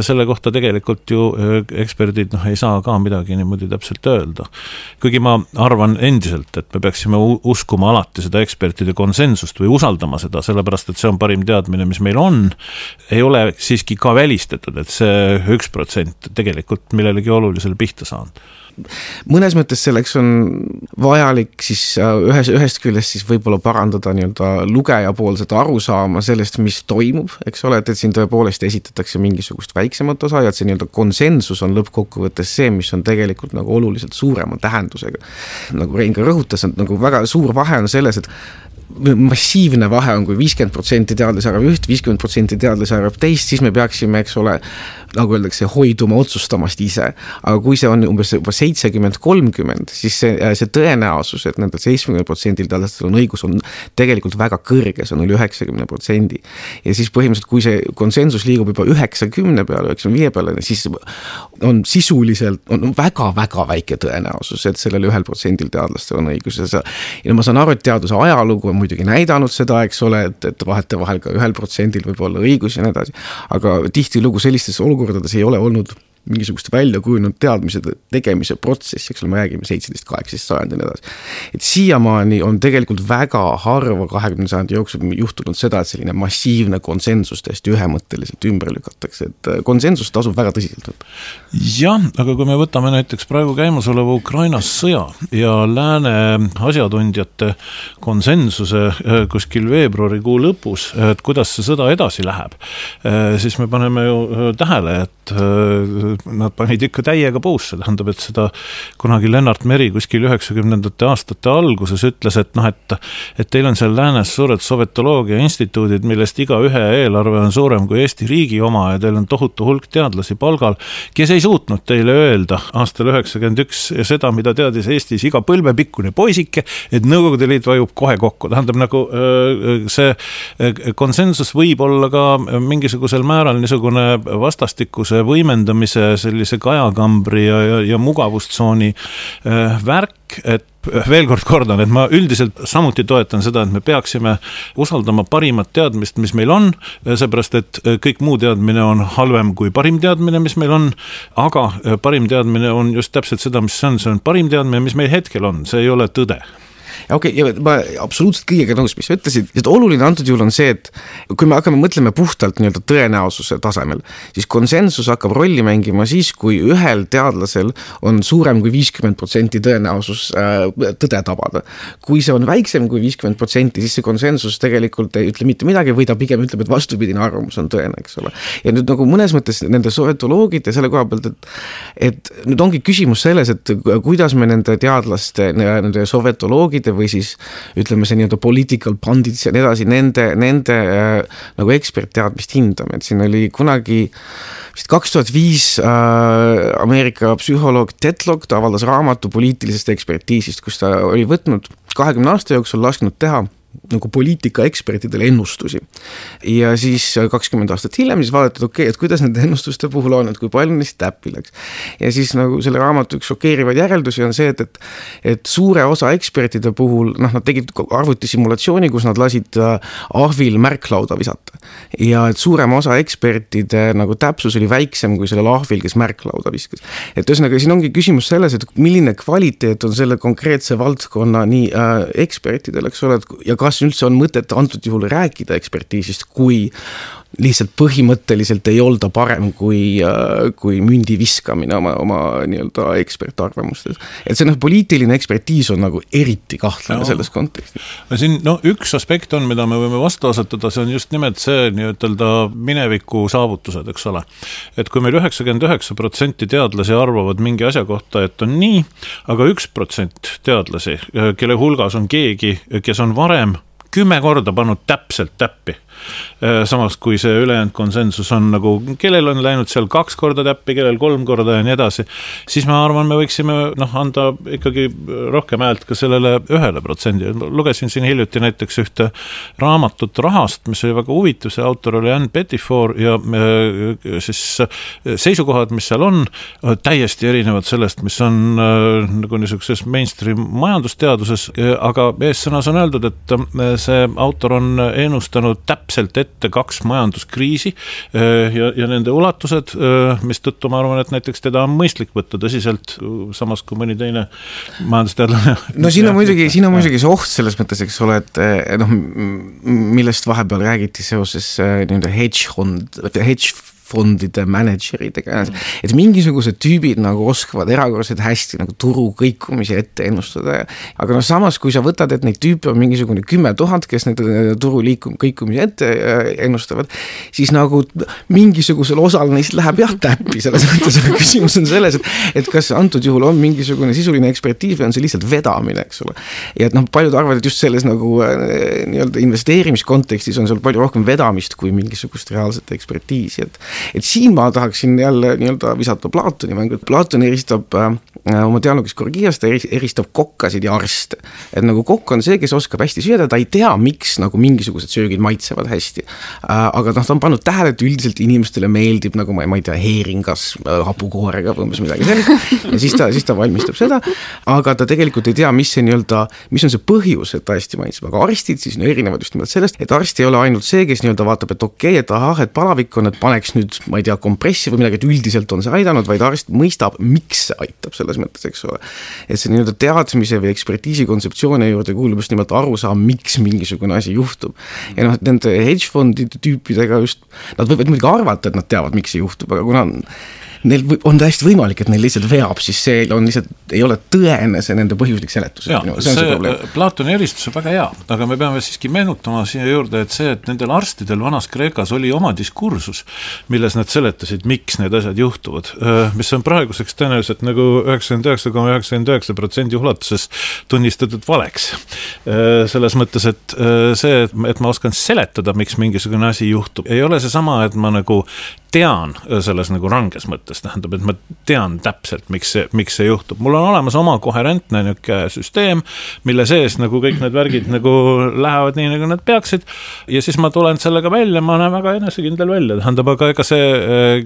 selle kohta tegelikult ju eksperdid noh, ei saa ka midagi niimoodi täpselt öelda. Kuigi ma arvan endiselt, et me peaksime uskuma alati seda ekspertide konsensust või usaldama seda, sellepärast et see on parim teadmine, mis meil on, ei ole siiski ka välistatud, et see üks protsent tegelikult millelegi olulisele pihta saanud. Mõnes mõttes selleks on vajalik siis ühes, ühest küljest siis võib-olla parandada nii-öelda lugeja poolset arusaama sellest, mis toimub, eks ole, et, et siin tõepoolest esitatakse mingisugust väiksemat osa ja et see nii-öelda konsensus on lõppkokkuvõttes see, mis on tegelikult nagu oluliselt suurema tähendusega. Nagu Rein ka rõhutas, et nagu väga suur vahe on selles, et massiivne vahe on, kui viiskümmend protsenti teadlase arvab üht, viiskümmend protsenti teadlase arvab teist, siis me peaksime, eks ole, nagu öeldakse, hoiduma otsustamast ise. Aga kui see on umbes juba seitsekümmend kolmkümmend, siis see, see tõenäosus, et nendel seitsekümmend protsenti teadlastel on õigus, on tegelikult väga kõrge, see on üle üheksakümmend protsenti. Ja siis põhimõtteliselt, kui see konsensus liigub juba üheksakümne peale, üheksakümne viie peale, siis on sisuliselt, on väga-väga väike tõenäosus, et sellel ühel protsendil teadlastel on õigus. Ja ma saan aru, et teaduse ajalugu on muidugi näidanud seda, eks ole, et, et vahete vahel ka ühel protsendil võib olla õigus ja nii edasi. Aga tihti lugu sellistes olukordades ei ole olnud mingisugust välja kujunud teadmise tegemise protsessi, eks ole, me räägime seitseteist kaheksateist sajand ja nii edasi. Et siiamaani on tegelikult väga harva kahekümnenda sajandi jooksul juhtunud seda, et selline massiivne konsensus täiesti ühemõtteliselt ümber lükatakse, et konsensus tasub väga tõsiselt. Jah, aga kui me võtame näiteks praegu käimasoleva Ukrainas sõja ja lääne asjatundjate konsensuse kuskil veebruarikuu lõpus, et kuidas see sõda edasi läheb, siis me paneme ju tähele, et nad panid ikka täiega puusse, tähendab, et seda kunagi Lennart Meri kuskil üheksakümnendate aastate alguses ütles, et noh, et, et teil on seal läänes suured sovetoloogia instituudid, millest iga ühe eelarve on suurem kui Eesti riigi oma ja teil on tohutu hulk teadlasi palgal, kes ei suutnud teile öelda aastal üheksakümmend üks seda, mida teadis Eestis iga põlvepikkune poisike, et Nõukogude Liit vajub kohe kokku. Tähendab, nagu see konsensus võib olla ka mingisugusel määral niisugune vastastikuse võimendamise sellise kajakambri ja, ja, ja mugavustsooni äh, värk, et veel kord kordan, et ma üldiselt samuti toetan seda, et me peaksime usaldama parimat teadmist, mis meil on, seepärast, et kõik muu teadmine on halvem kui parim teadmine, mis meil on, aga parim teadmine on just täpselt seda, mis see on, see on parim teadmine, mis meil hetkel on, see ei ole tõde. Ja okei, okay, ja ma absoluutselt kõigega nõus, mis sa ütlesid, et oluline antud juhul on see, et kui me hakkame mõtlema puhtalt nii-öelda tõenäosuse tasemel, siis konsensus hakkab rolli mängima siis, kui ühel teadlasel on suurem kui viiskümmend protsenti tõenäosus äh, tõde tabada. Kui see on väiksem kui viiskümmend protsenti, siis see konsensus tegelikult ei ütle mitte midagi või ta pigem ütleb, et vastupidine arvamus on tõene, eks ole. Ja nüüd nagu mõnes mõttes nende sovetoloogid ja selle koha pealt, et, et nüüd ongi küsimus selles, et kuidas me nende teadlaste, nende sovetoloogide või siis ütleme see nii-öelda political pundits ja nii edasi, nende, nende äh, nagu ekspertteadmist hindame, et siin oli kunagi vist kaks tuhat viis äh, Ameerika psühholoog Tetlock, ta avaldas raamatu poliitilisest ekspertiisist, kus ta oli võtnud kahekümne aasta jooksul lasknud teha nagu poliitika ekspertidele ennustusi. Ja siis kakskümmend aastat hiljem siis vaadatud, okei, okay, et kuidas nende ennustuste puhul on, et kui palju neist täppi läks. Ja siis nagu selle raamatu üks šokeerivaid järeldusi on see, et, et, et suure osa ekspertide puhul, noh, nad tegid arvutisimulatsiooni, kus nad lasid ahvil märklauda visata. Ja et suurem osa ekspertide nagu täpsus oli väiksem kui sellel ahvil, kes märklauda viskas. Et ühesõnaga, siin ongi küsimus selles, et milline kvaliteet on selle konkreetse valdkonna nii äh, ekspertidel, eks ole, ja kas üldse on mõtet antud juhul rääkida ekspertiisist, kui lihtsalt põhimõtteliselt ei olda parem kui, kui mündi viskamine oma, oma nii-öelda ekspertarvamustes. Et see noh, poliitiline ekspertiis on nagu eriti kahtlane no. selles kontekstis. Siin no, üks aspekt on, mida me võime vastu asetada, see on just nimelt see nii-ütelda mineviku saavutused, eks ole. Et kui meil üheksakümmend üheksa protsenti teadlasi arvavad mingi asja kohta, et on nii, aga üks protsent teadlasi, kelle hulgas on keegi, kes on varem kümme korda pannud täpselt täppi. Samas kui see ülejäänud konsensus on nagu, kellel on läinud seal kaks korda täppi, kellel kolm korda ja nii edasi, siis ma arvan, me võiksime noh, anda ikkagi rohkem häält ka sellele ühele protsendi. Lugesin siin hiljuti näiteks ühte raamatut rahast, mis oli väga huvitav, see autor oli Ann Pettifor ja siis seisukohad, mis seal on, täiesti erinevad sellest, mis on nagu niisuguses mainstream majandusteaduses, aga eessõnas on öeldud, et see autor on ennustanud täpselt täpselt ette kaks majanduskriisi ja, ja nende ulatused, mis tõttu ma arvan, et näiteks teda on mõistlik võtta tõsiselt, samas kui mõni teine majandusteadlane. No siin on muidugi, siin on muidugi see oht selles mõttes, eks ole, et noh, millest vahepeal räägiti seoses nii-öelda hedge fund, hedge fondide manageridega, et mingisugused tüübid nagu oskavad erakordselt hästi nagu turu kõikumisi ette ennustada, aga no samas, kui sa võtad, et neid tüüpe on mingisugune kümme tuhat, kes need turu liikum, kõikumisi ette ennustavad, siis nagu mingisugusel osal neist läheb jah täppi, selles mõttes, aga küsimus on selles, et, et kas antud juhul on mingisugune sisuline ekspertiis või on see lihtsalt vedamine, eks ole. Ja et noh, paljud arvavad, et just selles nagu nii-öelda investeerimiskontekstis on seal palju rohkem vedamist kui mingisugust reaalset ekspertiisi, et et siin ma tahaksin jälle nii-öelda visata Platoni mängu, et Platon eristab äh, oma dialoogis Gorgiast, ta eristab kokkasid ja arste. Et nagu kokk on see, kes oskab hästi süüda, ta ei tea, miks nagu mingisugused söögid maitsevad hästi. Äh, aga noh, ta on pannud tähele, et üldiselt inimestele meeldib nagu ma ei, ma ei tea, heeringas äh, hapukoorega või umbes midagi sellist. Ja siis ta, siis ta valmistab seda, aga ta tegelikult ei tea, mis see nii-öelda, mis on see põhjus, et ta hästi maitseb. Aga arstid siis no, erinevad just nimelt sellest, et arst ei ole ainult see, kes nii-öelda vaatab, et okei, et ahah, et palavik on, et paneks nüüd ma ei tea, kompressi või midagi, et üldiselt on see aidanud, vaid arst mõistab, miks see aitab selles mõttes, eks ole. Et see nii-öelda teadmise või ekspertiisi kontseptsioone juurde kuulub just nimelt aru saa, miks mingisugune asi juhtub. Ja noh, nende hedge fondide tüüpidega just, nad võivad muidugi arvata, et nad teavad, miks see juhtub, aga kuna neil on täiesti võimalik, et neil lihtsalt veab, siis see on lihtsalt, ei ole tõene see nende põhjuslik seletus. Ja, see, see, see Platoni eristus on väga hea, aga me peame siiski meenutama siia juurde, et see, et nendel arstidel vanas Kreekas oli oma diskursus, milles nad seletasid, miks need asjad juhtuvad, mis on praeguseks tõenäoliselt nagu üheksakümmend üheksa koma üheksakümmend üheksa protsenti ulatuses tunnistatud valeks. Selles mõttes, et see, et ma oskan seletada, miks mingisugune asi juhtub, ei ole see sama, et ma nagu tean selles nagu ranges mõttes, tähendab, et ma tean täpselt, miks see, miks see juhtub. Mul on olemas oma koherentne niuke süsteem, mille sees nagu kõik need värgid nagu lähevad nii, nagu nad peaksid ja siis ma tulen sellega välja, ma näen väga enesekindel välja, tähendab, aga ega see,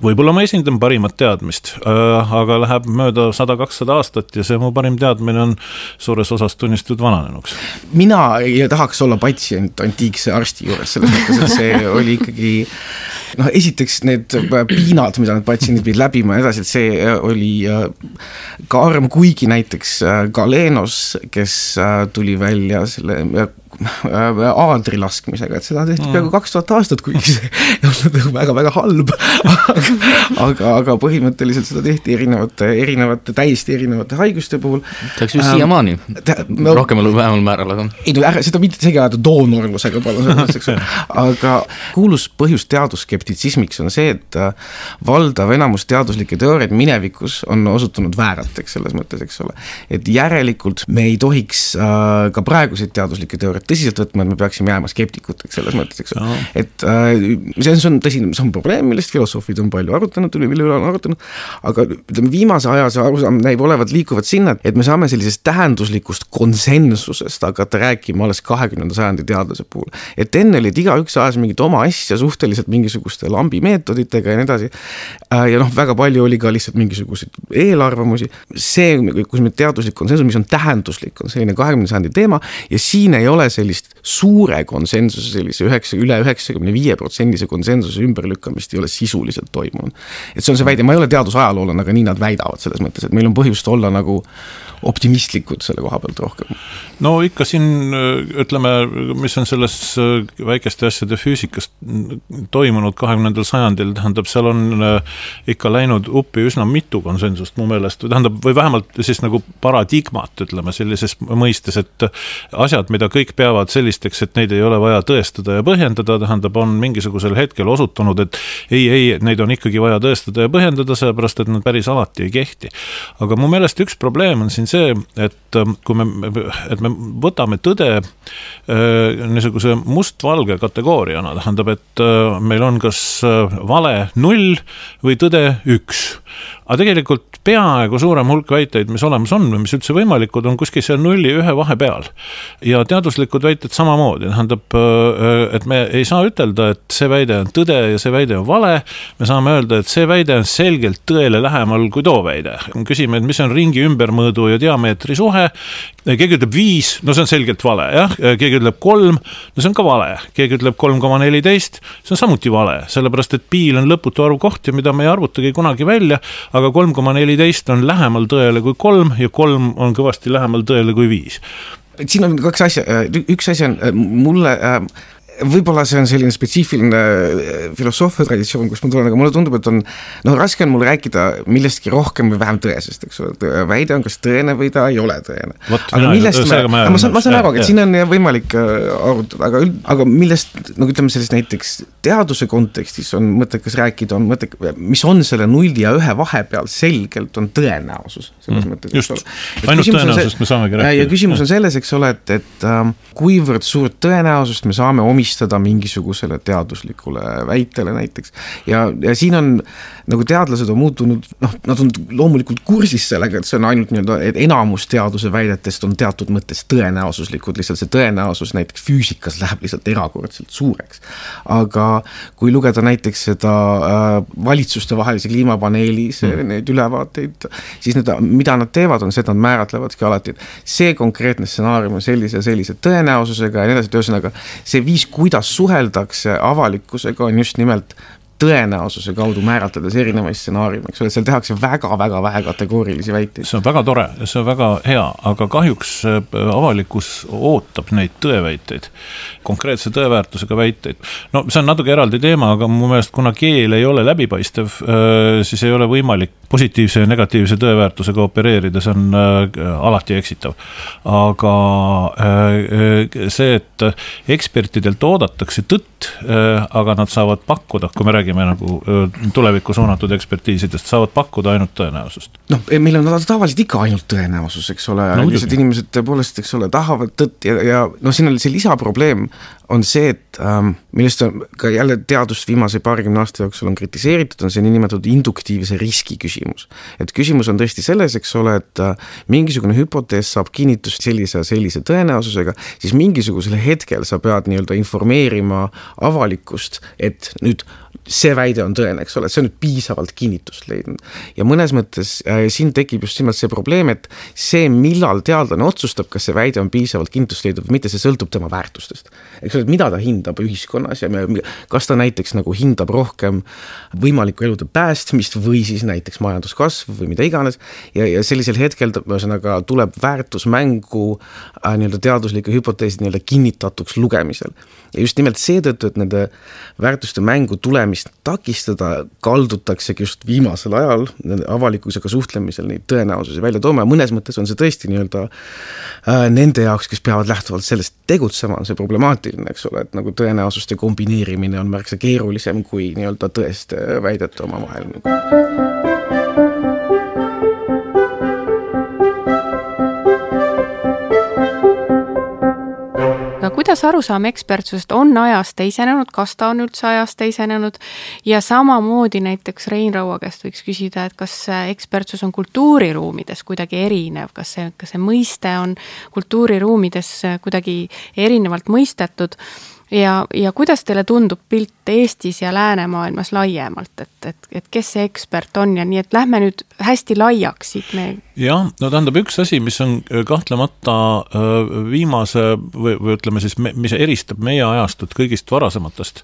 võib-olla ma esindan parimat teadmist, aga läheb mööda sada kakssada aastat ja see mu parim teadmine on suures osas tunnistatud vananenuks. Mina ei tahaks olla patsient antiikse arsti juures, selles mõttes, et see oli ikkagi noh, esiteks need piinad, mida need patsiendid pidid läbima ja edasi, et see oli karm, kuigi näiteks Galenos, kes tuli välja selle aadri laskmisega, et seda tehti peaaegu kaks tuhat aastat, kuigi see on väga-väga halb, aga, aga, aga põhimõtteliselt seda tehti erinevate, erinevate, täiesti erinevate haiguste puhul. Teaks just ähm, siiamaani, no, rohkemal või vähemal määral, aga ei, no ära, seda mitte segi ajada doonorlusega palun, aga kuulus põhjus teadusskeptitsismiks on see, et valdav enamus teaduslikke teooriaid minevikus on osutunud väärateks selles mõttes, eks ole, et järelikult me ei tohiks äh, ka praeguseid teaduslikke teooriaid tõsiselt võtma, et me peaksime jääma skeptikuteks selles mõttes, eks ole. Et äh, see on tõsine, see on probleem, millest filosoofid on palju arutanud, mille üle on arutanud, aga ütleme, viimase aja see arusaam näib olevat liikuvad sinna, et me saame sellisest tähenduslikust konsensusest hakata rääkima alles kahekümnenda sajandi teadlase puhul. Et enne oli, et igaüks ajas mingit oma asja suhteliselt mingisugust mingisuguste lambimeetoditega ja nii edasi. Ja noh, väga palju oli ka lihtsalt mingisuguseid eelarvamusi. See, kus me teaduslik konsensus, mis on tähenduslik, on selline kahekümnenda sajandi teema ja siin ei ole sellist suure konsensuse, sellise üheksa, üle üheksakümne viie protsendise konsensuse ümberlükkamist ei ole sisuliselt toimunud. Et see on see väide, ma ei ole teadusajaloolane, aga nii nad väidavad selles mõttes, et meil on põhjust olla nagu optimistlikud selle koha pealt rohkem. No ikka siin, ütleme, mis on selles väikeste asjade füüsikast toimunud kahekümnendal sajandil, tähendab, seal on ikka läinud uppi üsna mitu konsensust mu meelest, tähendab, või vähemalt siis nagu paradigmat, ütleme, sellises mõistes, et asjad, mida kõik peavad sellisteks, et neid ei ole vaja tõestada ja põhjendada, tähendab, on mingisugusel hetkel osutunud, et ei, ei, neid on ikkagi vaja tõestada ja põhjendada, sellepärast, et nad päris alati ei kehti. Aga mu meelest üks probleem on siin see, et kui me, et me võtame tõde niisuguse must-valge kategooriana, tähendab, et meil on kas vale null või tõde üks. Aga tegelikult peaaegu suurem hulk väiteid, mis olemas on või mis üldse võimalikud, on kuskil seal nulli ühe vahe peal. Ja teaduslikud väited samamoodi, tähendab, et me ei saa ütelda, et see väide on tõde ja see väide on vale. Me saame öelda, et see väide on selgelt tõele lähemal kui too väide. Küsime, et mis on ringi ümbermõõdu ja diameetri suhe. Keegi ütleb viis, no see on selgelt vale, jah. Keegi ütleb kolm, no see on ka vale. Keegi ütleb kolm koma neliteist, see on samuti vale, sellepärast et piil on lõputu arv kohti, mida me ei arvutagi kunagi välja, aga kolm koma neliteist on lähemal tõele kui kolm ja kolm on kõvasti lähemal tõele kui viis. Siin on kaks asja, üks asja on mulle, võib-olla see on selline spetsiifiline filosoofia traditsioon, kus ma tulen, aga mulle tundub, et on, no raske on mul rääkida millestki rohkem või vähem tõesest, eks ole, väide on kas tõene või ta ei ole tõene. Võt, aga mina, millest me, ma, ma saan, ma saan aru, et siin on võimalik arutada, aga, aga millest, no ütleme sellest näiteks teaduse kontekstis on mõttekas rääkida, on mõttekas, mis on selle nulli ja ühe vahepeal selgelt on tõenäosus. Selles mm, mõttes, just, ainult tõenäosust see, me saamegi rääkida. Ja küsimus on selles, eks ole, et, et ähm, kuivõrd suurt tõenäosust me saame omistada mingisugusele teaduslikule väitele näiteks. Ja, ja siin on, nagu teadlased on muutunud, noh, nad on loomulikult kursis sellega, et see on ainult nii-öelda, et enamus teaduse väidetest on teatud mõttes tõenäosuslikud, lihtsalt see tõenäosus näiteks füüsikas läheb lihtsalt erakordselt suureks. Aga kui lugeda näiteks seda äh, valitsuste vahelise kliimapaneeli mm. neid ülevaateid, siis need, mida nad teevad, on see, et nad määratlevadki alati, et see konkreetne stsenaarium on sellise ja sellise tõenäosusega ja nii edasi, ühesõnaga see viis, kuidas suheldakse avalikkusega, on just nimelt tõenäosuse kaudu määratledes erinevaid stsenaariume, eks ole, seal tehakse väga-väga vähe kategoorilisi väiteid. See on väga tore, see on väga hea, aga kahjuks avalikkus ootab neid tõeväiteid, konkreetse tõeväärtusega väiteid. No see on natuke eraldi teema, aga mu meelest kuna keel ei ole läbipaistev, siis ei ole võimalik positiivse ja negatiivse tõeväärtusega opereerida, see on alati eksitav. Aga see, et ekspertidelt oodatakse tõtt, aga nad saavad pakkuda, kui me räägime me nagu tulevikku suunatud ekspertiisidest, saavad pakkuda ainult tõenäosust. Noh, meil on tavaliselt ikka ainult tõenäosus, eks ole, no, lihtsalt inimesed tõepoolest, eks ole, tahavad tõtt ja, ja no siin on see lisaprobleem on see, et ähm, millest on ka jälle teadust viimase paarikümne aasta jooksul on kritiseeritud, on see niinimetatud induktiivse riski küsimus. Et küsimus on tõesti selles, eks ole, et äh, mingisugune hüpotees saab kinnitust sellise, sellise tõenäosusega, siis mingisugusel hetkel sa pead nii-öelda informeerima avalikkust, et nüüd see väide on tõene, eks ole, see on nüüd piisavalt kinnitust leidnud. Ja mõnes mõttes äh, siin tekib just nimelt see probleem, et see, millal teadlane otsustab, kas see väide on piisavalt kinnitust leidnud või mitte, see sõltub tema väärtustest. Eks ole, mida ta hindab ühiskonnas ja me, kas ta näiteks nagu hindab rohkem võimalikku elude päästmist või siis näiteks majanduskasv või mida iganes. Ja, ja sellisel hetkel ühesõnaga tuleb väärtusmängu äh, nii-öelda teaduslike hüpoteesid nii-öelda kinnitatuks lugemisel. Ja just nimelt seetõttu, et nende väärtuste mängu tulemist takistada, kaldutaksegi just viimasel ajal avalikkusega suhtlemisel neid tõenäosusi välja tooma ja mõnes mõttes on see tõesti nii-öelda äh, nende jaoks, kes peavad lähtuvalt sellest tegutsema, on see problemaatiline, eks ole, et nagu tõenäosuste kombineerimine on märksa keerulisem kui nii-öelda tõeste väidete oma vahel. Kuidas arusaam ekspertsusest on ajas teisenenud, kas ta on üldse ajas teisenenud ja samamoodi näiteks Rein Raua käest võiks küsida, et kas ekspertsus on kultuuriruumides kuidagi erinev, kas see, kas see mõiste on kultuuriruumides kuidagi erinevalt mõistetud. ja, ja kuidas teile tundub pilt Eestis ja läänemaailmas laiemalt, et, et, et kes see ekspert on ja nii, et lähme nüüd hästi laiaks siit me... jah, no tähendab üks asi, mis on kahtlemata viimase või, või ütleme siis, mis eristab meie ajastut kõigist varasematest,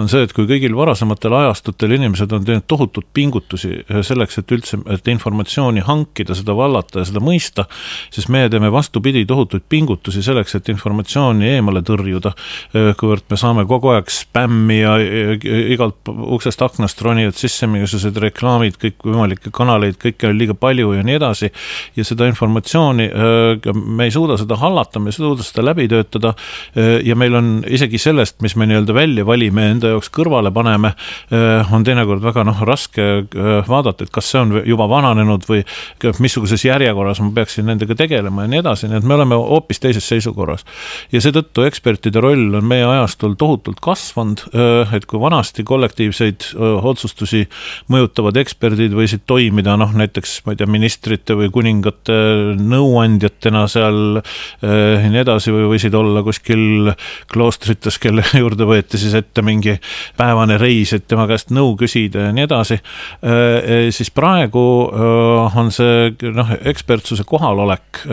on see, et kui kõigil varasematel ajastutel inimesed on teinud tohutut pingutusi selleks, et üldse et informatsiooni hankida, seda vallata ja seda mõista, siis meie teeme vastupidi tohutuid pingutusi selleks, et informatsiooni eemale tõrjuda, kuivõrd me saame kogu aeg spämmi ja igalt uksest aknast ronivad sisse mingisugused reklaamid, kõik võimalikke kanaleid, kõike on liiga palju ja nii edasi ja seda informatsiooni me ei suuda seda hallata, me ei suuda seda läbi töötada ja meil on isegi sellest, mis me nii-öelda välja valime enda jaoks kõrvale paneme, on teinekord väga noh, raske vaadata, et kas see on juba vananenud või missuguses järjekorras ma peaksin nendega tegelema ja nii edasi, nii et me oleme hoopis teises seisukorras ja seetõttu ekspertide roll on meie ajastul tohutult kasvanud, et kui vanasti kollektiivseid otsustusi mõjutavad eksperdid võisid toimida, noh näiteks ma ei tea, ministrite või kuningate nõuandjatena seal ja nii edasi või võisid olla kuskil kloostrites, kelle juurde võeti siis ette mingi päevane reis, et tema käest nõu küsida ja nii edasi, siis praegu on see noh, ekspertsuse kohalolek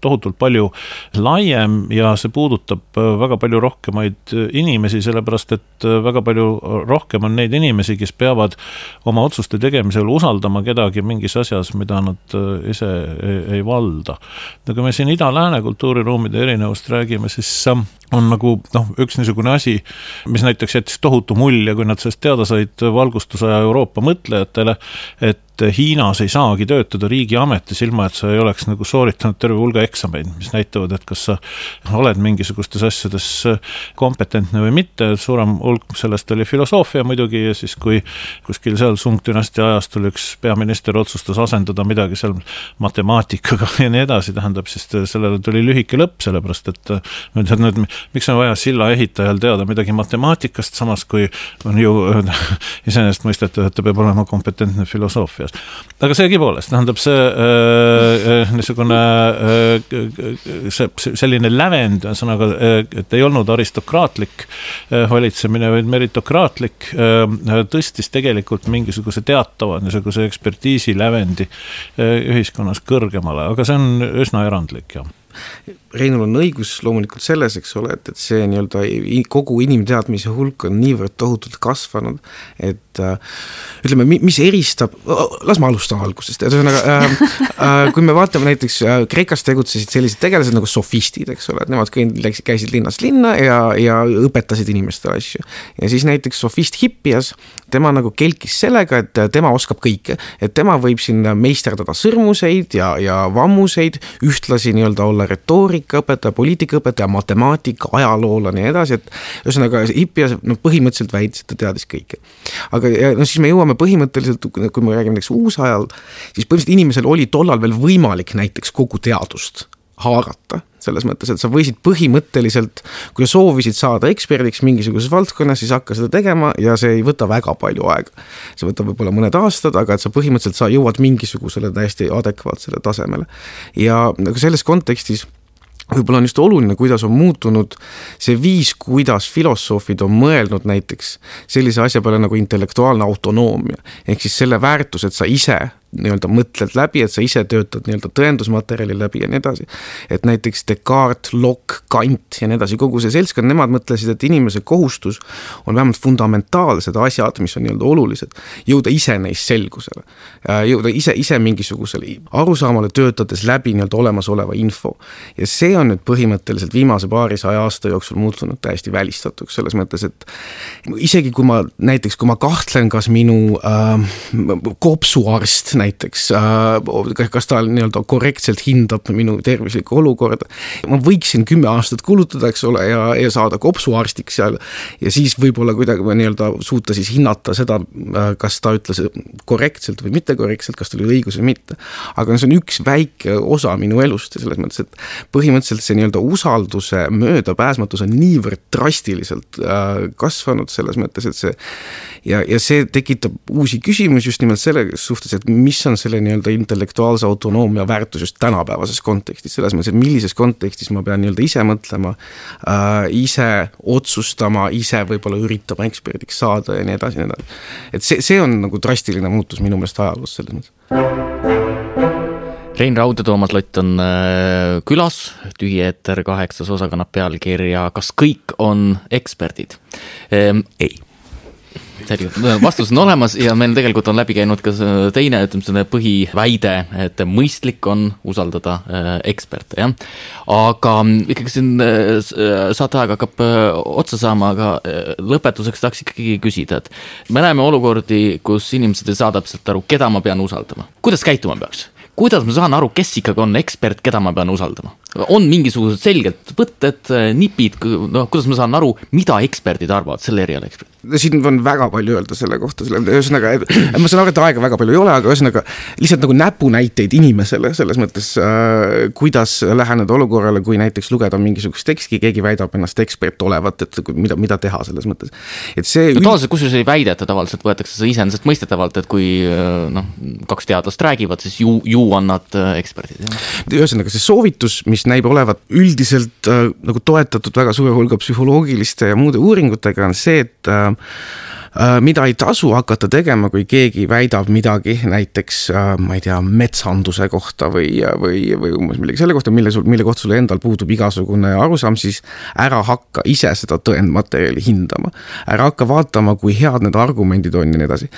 tohutult palju laiem ja see puudutab väga palju rohkemaid inimesi, sellepärast et väga palju rohkem on neid inimesi, kes peavad oma otsuste tegemisel usaldama kedagi mingis asjas, mida nad ise ei, ei valda. Ja kui me siin ida-lääne kultuuriruumide erinevust räägime, siis on nagu noh, üks niisugune asi, mis näiteks jättis tohutu mulje, kui nad sellest teada said valgustusaja Euroopa mõtlejatele, et Hiinas ei saagi töötada riigiametis ilma, et sa ei oleks nagu sooritanud terve hulga eksameid, mis näitavad, et kas sa oled mingisugustes asjades kompetentne või mitte, suurem hulk sellest oli filosoofia muidugi ja siis kui kuskil seal Sung-dünastia ajastul üks peaminister otsustas asendada midagi seal matemaatikaga ja nii edasi, tähendab siis sellele tuli lühike lõpp, sellepärast et nüüd, miks on vaja silla ehitajal teada midagi matemaatikast, samas kui on ju iseenesest mõistetud, et ta peab olema kompetentne filosoofias. Aga seegi poolest, tähendab see äh, niisugune äh, see, selline lävend, sõnaga, et ei olnud aristokraatlik äh, valitsemine, vaid meritokraatlik, äh, tõstis tegelikult mingisuguse teatava niisuguse ekspertiisi lävendi äh, ühiskonnas kõrgemale, aga see on üsna erandlik, jah. Reinul on õigus loomulikult selles, eks ole, et, et see nii-öelda kogu inimteadmise hulk on niivõrd tohutult kasvanud, et äh, ütleme, mis eristab, las ma alustan algusest, et ühesõnaga, äh, äh, kui me vaatame näiteks äh, Kreekas tegutsesid sellised tegelased nagu sofistid, eks ole, et nemad käisid linnast linna ja, ja õpetasid inimestele asju. Ja siis näiteks sofist Hippias, tema nagu kelkis sellega, et tema oskab kõike, et tema võib siin meisterdada sõrmuseid ja, ja vammuseid, ühtlasi nii-öelda olla retoorika õpetaja, poliitika õpetaja, matemaatika, ajaloolane ja edasi, et ühesõnaga Hippias no, põhimõtteliselt väitis, et ta teadis kõike. Aga ja, no, siis me jõuame põhimõtteliselt, kui me räägime näiteks uusajal, siis põhimõtteliselt inimesel oli tollal veel võimalik näiteks kogu teadust haarata, selles mõttes, et sa võisid põhimõtteliselt, kui sa soovisid saada eksperdiks mingisuguses valdkonnas, siis hakka seda tegema ja see ei võta väga palju aega. See võtab võib-olla mõned aastad, aga et sa põhimõtteliselt sa jõuad mingisugusele täiesti adekvaatsele tasemele. Ja selles kontekstis võib-olla on just oluline, kuidas on muutunud see viis, kuidas filosoofid on mõelnud näiteks sellise asja peale nagu intellektuaalne autonoomia. Ehk siis selle väärtus, et sa ise nii-öelda mõtled läbi, et sa ise töötad nii-öelda tõendusmaterjali läbi ja nii edasi. Et näiteks Descartes, Locke, Kant ja nii edasi, kogu see seltskond, nemad mõtlesid, et inimese kohustus on vähemalt fundamentaalsed asjad, mis on nii-öelda olulised, jõuda ise neist selgusele. Jõuda ise, ise mingisugusele arusaamale töötades läbi nii-öelda olemasoleva info. Ja see on nüüd põhimõtteliselt viimase paarisaja aasta jooksul muutunud täiesti välistatuks selles mõttes, et isegi kui ma näiteks, kui ma kahtlen, kas minu äh, kopsuarst näiteks, kas ta nii-öelda korrektselt hindab minu tervislikku olukorda. Ma võiksin kümme aastat kulutada, eks ole, ja, ja saada kopsuarstiks seal ja siis võib-olla kuidagi nii-öelda suuta siis hinnata seda, kas ta ütles korrektselt või mitte korrektselt, kas ta oli õigus või mitte. Aga see on üks väike osa minu elust ja selles mõttes, et põhimõtteliselt see nii-öelda usalduse möödapääsmatus on niivõrd drastiliselt kasvanud selles mõttes, et see ja, ja see tekitab uusi küsimusi just nimelt selle suhtes, et mis on selle nii-öelda intellektuaalse autonoomia väärtus just tänapäevases kontekstis, selles mõttes, et millises kontekstis ma pean nii-öelda ise mõtlema, äh, ise otsustama, ise võib-olla üritama eksperdiks saada ja nii edasi, nii edasi. Et see, see on nagu drastiline muutus minu meelest ajaloos selles mõttes. Rein Raud ja Toomas Lott on külas, Tühi eeter kaheksas osa kannab pealkirja Kas kõik on eksperdid? Ehm, ei. Vastus on olemas ja meil tegelikult on läbi käinud ka teine ütleme, põhiväide, et mõistlik on usaldada eksperte. Ja? Aga ikkagi siin saateaeg hakkab otsa saama, aga lõpetuseks tahaks ikkagi küsida, et me näeme olukordi, kus inimesed ei saa täpselt aru, keda ma pean usaldama. Kuidas käituma peaks? Kuidas ma saan aru, kes ikkagi on ekspert, keda ma pean usaldama? On mingisugused selged võtted, nipid, no, kuidas ma saan aru, mida eksperdid arvavad, selle eriala eksperdid? Siin on väga palju öelda selle kohta, selle, ühesõnaga, ma saan aru, et aega väga palju ei ole, aga ühesõnaga lihtsalt nagu näpunäiteid inimesele selles mõttes, äh, kuidas läheneda olukorrale, kui näiteks lugeda mingisugust teksti, keegi väidab ennast ekspert olevat, et mida, mida teha selles mõttes. Et see no, tavaliselt, kus ei väideta, tavaliselt võetakse see iseenesest mõistetavalt, et kui no, kaks teadlast räägivad, siis ju, ju on nad eksperdid. Ühesõnaga, see soovitus, mis näib olevat üldiselt äh, nagu toetatud väga suure hulga psühholoogiliste ja muude uuringutega, on see, et äh, mida ei tasu hakata tegema, kui keegi väidab midagi näiteks, ma ei tea, metsanduse kohta või, või, või umbes millegi selle kohta, mille, sul, mille kohta sul endal puudub igasugune arusaam, siis ära hakka ise seda tõendmaterjali hindama. Ära hakka vaatama, kui head need argumendid on ja nii edasi.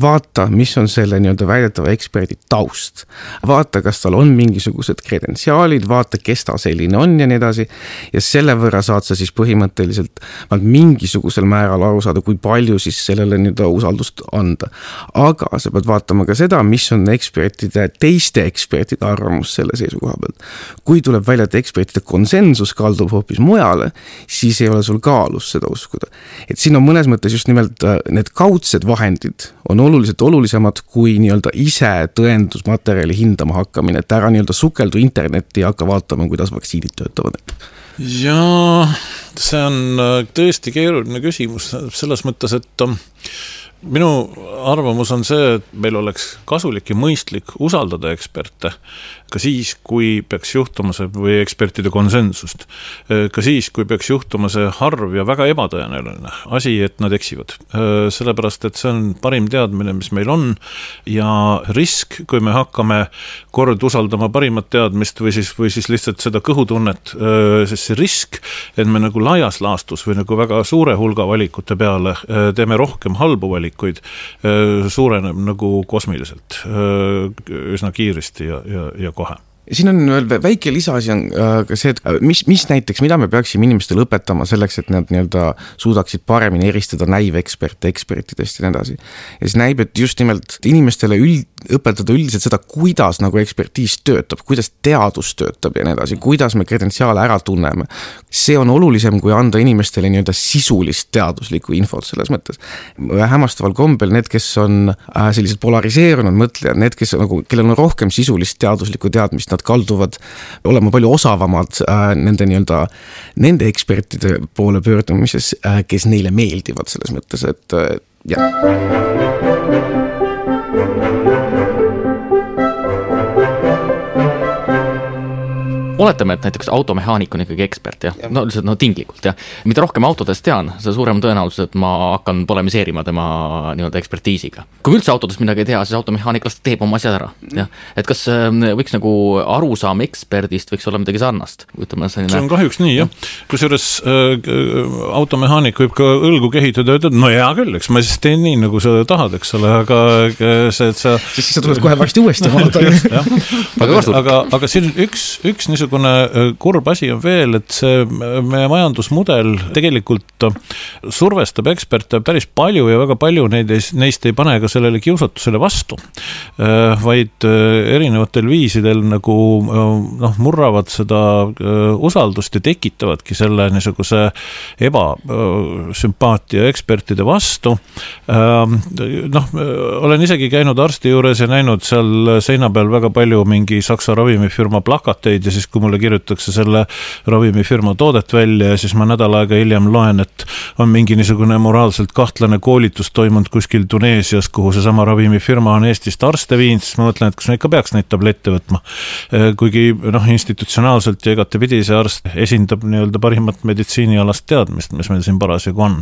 Vaata, mis on selle nii-öelda väidetava eksperdi taust. Vaata, kas tal on mingisugused kredentsiaalid, vaata, kes ta selline on ja nii edasi. Ja selle võrra saad sa siis põhimõtteliselt mingisugusel määral aru saada, kui palju siis sellele nüüd usaldust anda. Aga sa pead vaatama ka seda, mis on ekspertide, teiste ekspertide arvamus selle seisukoha pealt. Kui tuleb välja, et ekspertide konsensus kaldub hoopis mujale, siis ei ole sul kaalus seda uskuda. Et siin on mõnes mõttes just nimelt need kaudsed vahendid on oluliselt olulisemad kui nii-öelda ise tõendusmaterjali hindama hakkamine, et ära nii-öelda sukeldu internetti ja hakka vaatama, kuidas vaktsiinid töötavad. Ja see on tõesti keeruline küsimus selles mõttes, et minu arvamus on see, et meil oleks kasulik ja mõistlik usaldada eksperte ka siis, kui peaks juhtuma see või ekspertide konsensust, ka siis, kui peaks juhtuma see harv ja väga ebatõenäoline asi, et nad eksivad. Sellepärast, et see on parim teadmine, mis meil on ja risk, kui me hakkame kord usaldama parimat teadmist või siis, või siis lihtsalt seda kõhutunnet, siis see risk, et me nagu laias laastus või nagu väga suure hulga valikute peale teeme rohkem halbu valikuid, suureneb nagu kosmiliselt üsna kiiresti ja, ja, ja kohe. Siin on veel väike lisaasi on ka see, et mis, mis näiteks, mida me peaksime inimestele õpetama selleks, et nad nii-öelda suudaksid paremini eristada näiveksperte, ekspertidest ja nii edasi. Ja siis näib, et just nimelt inimestele üld, õpetada üldiselt seda, kuidas nagu ekspertiis töötab, kuidas teadus töötab ja nii edasi, kuidas me kredentsiaale ära tunneme. See on olulisem, kui anda inimestele nii-öelda sisulist teaduslikku infot selles mõttes. Hämmastaval kombel need, kes on sellised polariseerunud mõtlejad, need, kes nagu, kellel on rohkem sisulist teaduslikku teadmist, nad kalduvad olema palju osavamad äh, nende, nii-öelda, nende ekspertide poole pöördumises, äh, kes neile meeldivad selles mõttes, et äh, jah. Oletame, et näiteks automehaanik on ikkagi ekspert, jah? Ja. No, no tinglikult, jah. Mida rohkem autodest tean, see suurem tõenäosus, et ma hakkan polemiseerima tema nii-öelda ekspertiisiga. Kui üldse autodest midagi ei tea, siis automehaanik teeb oma asjad ära. Ja? Et kas võiks nagu arusaam eksperdist võiks olla midagi sarnast? Ütleme, selline... See on kahjuks nii, jah. Kusjuures äh, automehaanik võib ka õlgu kehitada ja ütelda, no hea küll, eks ma siis teen nii, nagu sa tahad, eks ole, aga see, et sa... Siis sa tuled kohe varsti uuesti aga, aga, aga siin üks, üks niisugune kurb asi on veel, et see meie majandusmudel tegelikult survestab eksperte päris palju ja väga palju neid, neist ei pane ka sellele kiusatusele vastu, vaid erinevatel viisidel nagu noh, murravad seda usaldust ja tekitavadki selle niisuguse ebasümpaatia ekspertide vastu. Noh, olen isegi käinud arsti juures ja näinud seal seina peal väga palju mingi saksa ravimifirma plakateid ja siis kui mulle kirjutakse selle ravimifirma toodet välja ja siis ma nädal aega hiljem loen, et on mingi niisugune moraalselt kahtlane koolitus toimunud kuskil Tuneesias, kuhu seesama ravimifirma on Eestist arste viinud, siis ma mõtlen, et kas me ikka peaks neid tablette võtma. Kuigi noh, institutsionaalselt ja igatepidi see arst esindab nii-öelda parimat meditsiinialast teadmist, mis meil siin parasjagu on.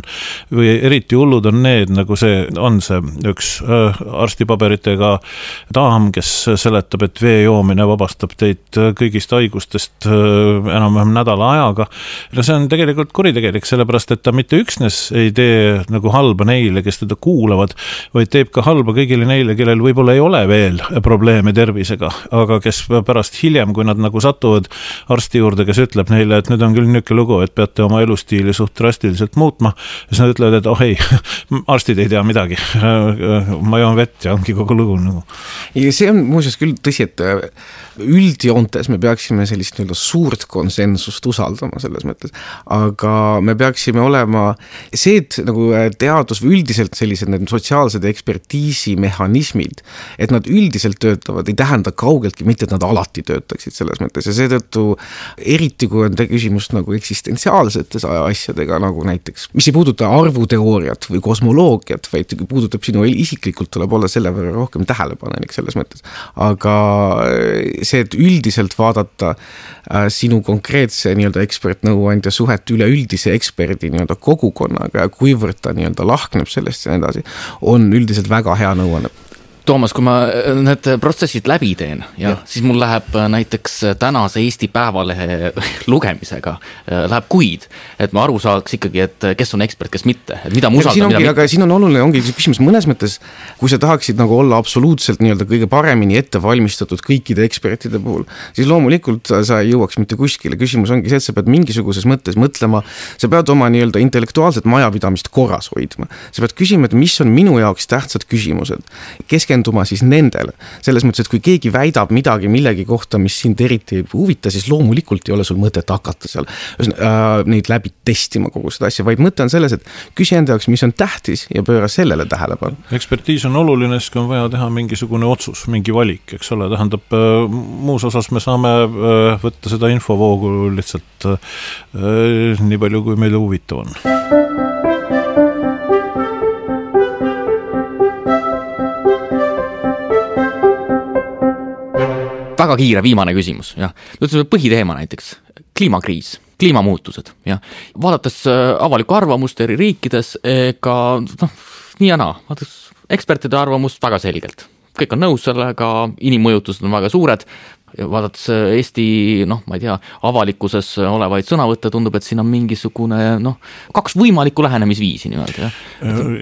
Või eriti hullud on need, nagu see on see üks arstipaberitega daam, kes seletab, et vee joomine vabastab teid kõigist haigustest enam-vähem nädala ajaga. No see on tegelikult kuritegelik, sellepärast, et ta mitte üksnes ei tee nagu halba neile, kes teda kuulavad, vaid teeb ka halba kõigile neile, kellel võib-olla ei ole veel probleeme tervisega, aga kes pärast hiljem, kui nad nagu satuvad arsti juurde, kes ütleb neile, et nüüd on küll niisugune lugu, et peate oma elustiili suht drastiliselt muutma, siis nad ütlevad, et oh ei, arstid ei tea midagi, ma joon vett ja ongi kogu lugu nagu. Ja see on muuseas küll tõsi, et üldjoontes me peaksime sellist nii-öelda suurt konsensust usaldama selles mõttes, aga me peaksime olema see, et nagu teadus või üldiselt sellised need sotsiaalsed ekspertiisi mehhanismid, et nad üldiselt töötavad, ei tähenda kaugeltki mitte, et nad alati töötaksid selles mõttes ja seetõttu eriti, kui on küsimus nagu eksistentsiaalsetes asjadega, nagu näiteks, mis ei puuduta arvuteooriat või kosmoloogiat, vaid puudutab sinu isiklikult, tuleb olla selle võrra rohkem tähelepanelik selles mõttes, aga see, et üldiselt vaadata äh, sinu konkreetse nii-öelda ekspertnõuandja suhet üleüldise eksperdi nii-öelda kogukonnaga ja kuivõrd ta nii-öelda lahkneb sellest ja nii edasi, on üldiselt väga hea nõuanne. Toomas, kui ma need protsessid läbi teen ja, ja. siis mul läheb näiteks tänase Eesti Päevalehe lugemisega läheb kuid, et ma aru saaks ikkagi, et kes on ekspert, kes mitte, et mida ma usaldan, mida mitte. Aga siin on oluline, ongi küsimus mõnes mõttes, kui sa tahaksid nagu olla absoluutselt nii-öelda kõige paremini ette valmistatud kõikide ekspertide puhul, siis loomulikult sa ei jõuaks mitte kuskile. Küsimus ongi see, et sa pead mingisuguses mõttes mõtlema, sa pead oma nii-öelda intellektuaalset majapidamist korras hoidma. Sa pead küsima, et mis on minu jaoks tähtsad küsimused. Keske keskenduma siis nendele. Selles mõttes, et kui keegi väidab midagi millegi kohta, mis sind eriti ei huvita, siis loomulikult ei ole sul mõtet hakata seal äh, neid läbi testima kogu seda asja, vaid mõte on selles, et küsi enda jaoks, mis on tähtis ja pööra sellele tähelepanu. Ekspertiis on oluline, siis on vaja teha mingisugune otsus, mingi valik, eks ole, tähendab muus osas me saame võtta seda infovoogu lihtsalt nii palju, kui meile huvitav on. Väga kiire viimane küsimus, jah. Nüüd põhiteema näiteks, kliimakriis, kliimamuutused, jah. Vaadates avalikku arvamust eri riikides, ega no, nii ja naa, vaadates ekspertide arvamust väga selgelt. Kõik on nõus sellega, inimmõjutused on väga suured, vaadates Eesti, noh, ma ei tea, avalikkuses olevaid sõnavõtte tundub, et siin on mingisugune, noh, kaks võimalikku lähenemisviisi nii-öelda, jah?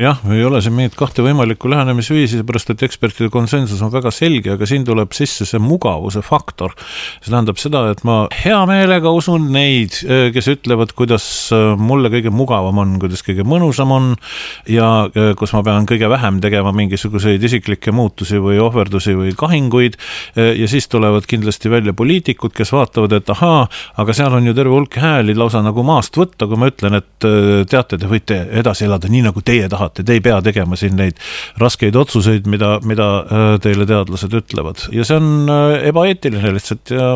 Jah, ei ole see meid kahte võimalikku lähenemisviisi, seepärast, et ekspertide konsensus on väga selge, aga siin tuleb sisse see mugavuse faktor. See tähendab seda, et ma hea meelega usun neid, kes ütlevad, kuidas mulle kõige mugavam on, kuidas kõige mõnusam on ja kus ma pean kõige vähem tegema mingisuguseid isiklikke muutusi või ohverdusi või kahinguid ja siis tulevad kindlasti välja poliitikud, kes vaatavad, et ahaa, aga seal on ju terve hulk hääli lausa nagu maast võtta, kui ma ütlen, et teate, te võite edasi elada nii, nagu teie tahate, te ei pea tegema siin neid raskeid otsuseid, mida, mida teile teadlased ütlevad. Ja see on ebaeetiline lihtsalt, ja,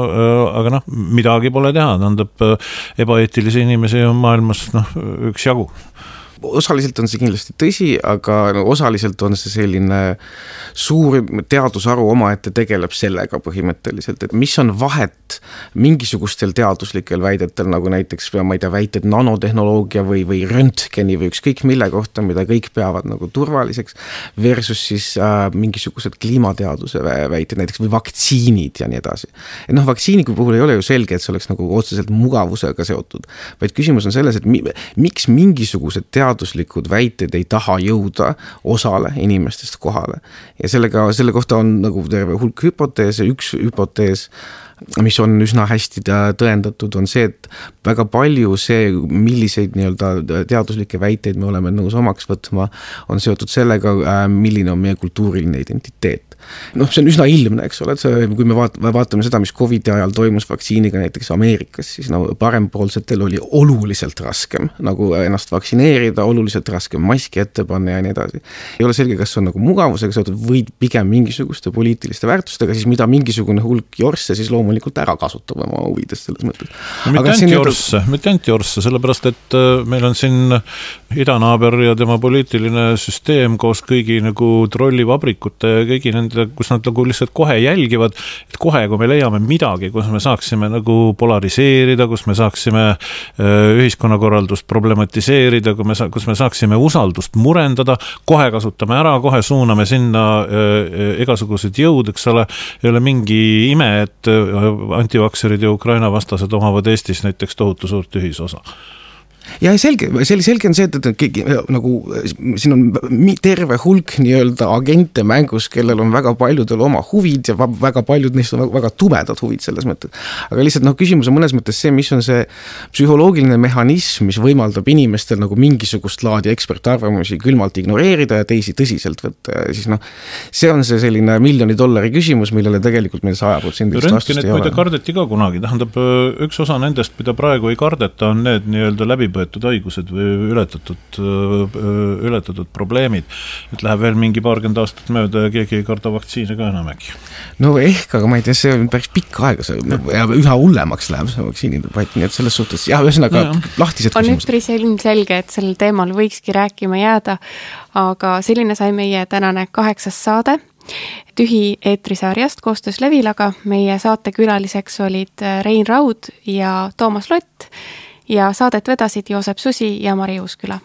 aga noh, midagi pole teha, tähendab ebaeetilisi inimesi on maailmas noh, üks jagu. Osaliselt on see kindlasti tõsi, aga no, osaliselt on see selline suur teadusharu omaette tegeleb sellega põhimõtteliselt, et mis on vahet mingisugustel teaduslikel väidetel, nagu näiteks, ma ei tea, väited nanotehnoloogia või, või röntgeni või ükskõik mille kohta, mida kõik peavad nagu turvaliseks, versus siis äh, mingisugused kliimateaduse väited, näiteks või vaktsiinid ja nii edasi. Et noh, vaktsiini puhul ei ole ju selge, et see oleks nagu otseselt mugavusega seotud, vaid küsimus on selles, et mi, miks mingisugused teaduslikud teaduslikud väited ei taha jõuda osale inimestest kohale. Ja sellega, selle kohta on nagu terve hulk hüpoteese, üks hüpotees, mis on üsna hästi tõendatud, on see, et väga palju see, milliseid nii-öelda teaduslikke väiteid me oleme nõus omaks võtma, on seotud sellega, milline on meie kultuuriline identiteet. Noh, see on üsna ilmne, eks ole, et see, kui me vaatame seda, mis Covidi ajal toimus vaktsiiniga näiteks Ameerikas, siis no, parempoolsetel oli oluliselt raskem nagu ennast vaktsineerida, oluliselt raskem maski ette panna ja nii edasi. Ei ole selge, kas on nagu mugavusega seotud või pigem mingisuguste poliitiliste väärtustega, siis mida mingisugune hulk jorsse siis loomulikult loomulikult ära kasutab oma huvides selles mõttes. No, mitte ainult jorsse, mitte ainult jorsse, sellepärast, et meil on siin idanaaber ja tema poliitiline süsteem koos kõigi nagu trollivabrikute ja kõigi nende, kus nad nagu lihtsalt kohe jälgivad, et kohe, kui me leiame midagi, kus me saaksime nagu polariseerida, kus me saaksime ühiskonnakorraldust problematiseerida, kui me, kus me saaksime usaldust murendada, kohe kasutame ära, kohe suuname sinna igasugused jõud, eks ole, ei ole mingi ime, et antivakserid ja Ukraina vastased omavad Eestis näiteks tohutu suurt ühisosa. Ja selge, selge on see, et, et keegi, nagu, siin on terve hulk nii-öelda agente mängus, kellel on väga paljudel oma huvid ja väga paljud neist on väga tumedad huvid selles mõttes. Aga lihtsalt noh, küsimus on mõnes mõttes see, mis on see psühholoogiline mehhanism, mis võimaldab inimestel nagu mingisugust laadi ekspertarvamusi külmalt ignoreerida ja teisi tõsiselt võtta. Ja siis noh, see on see selline miljoni dollari küsimus, millele tegelikult meil saja protsendilist vastust ei ole. Muide kardeti ka kunagi, tähendab üks osa nendest, mida praegu ei kardeta, on need nii-öelda läbi võetud haigused või ületatud, ületatud probleemid, et läheb veel mingi paarkümmend aastat mööda ja keegi ei karda vaktsiine ka enam äkki. No ehk, aga ma ei tea, see on päris pikk aega see, ja üha hullemaks läheb see vaktsiinide debatt, nii et selles suhtes, jah, ühesõnaga no, lahtised on küsimused. On üpris ilmselge, et sellel teemal võikski rääkima jääda, aga selline sai meie tänane kaheksas saade Tühi eetrisarjast koostöös Levilaga. Meie saatekülaliseks olid Rein Raud ja Toomas Lott ja saadet vedasid Joosep Susi ja Mari Uusküla.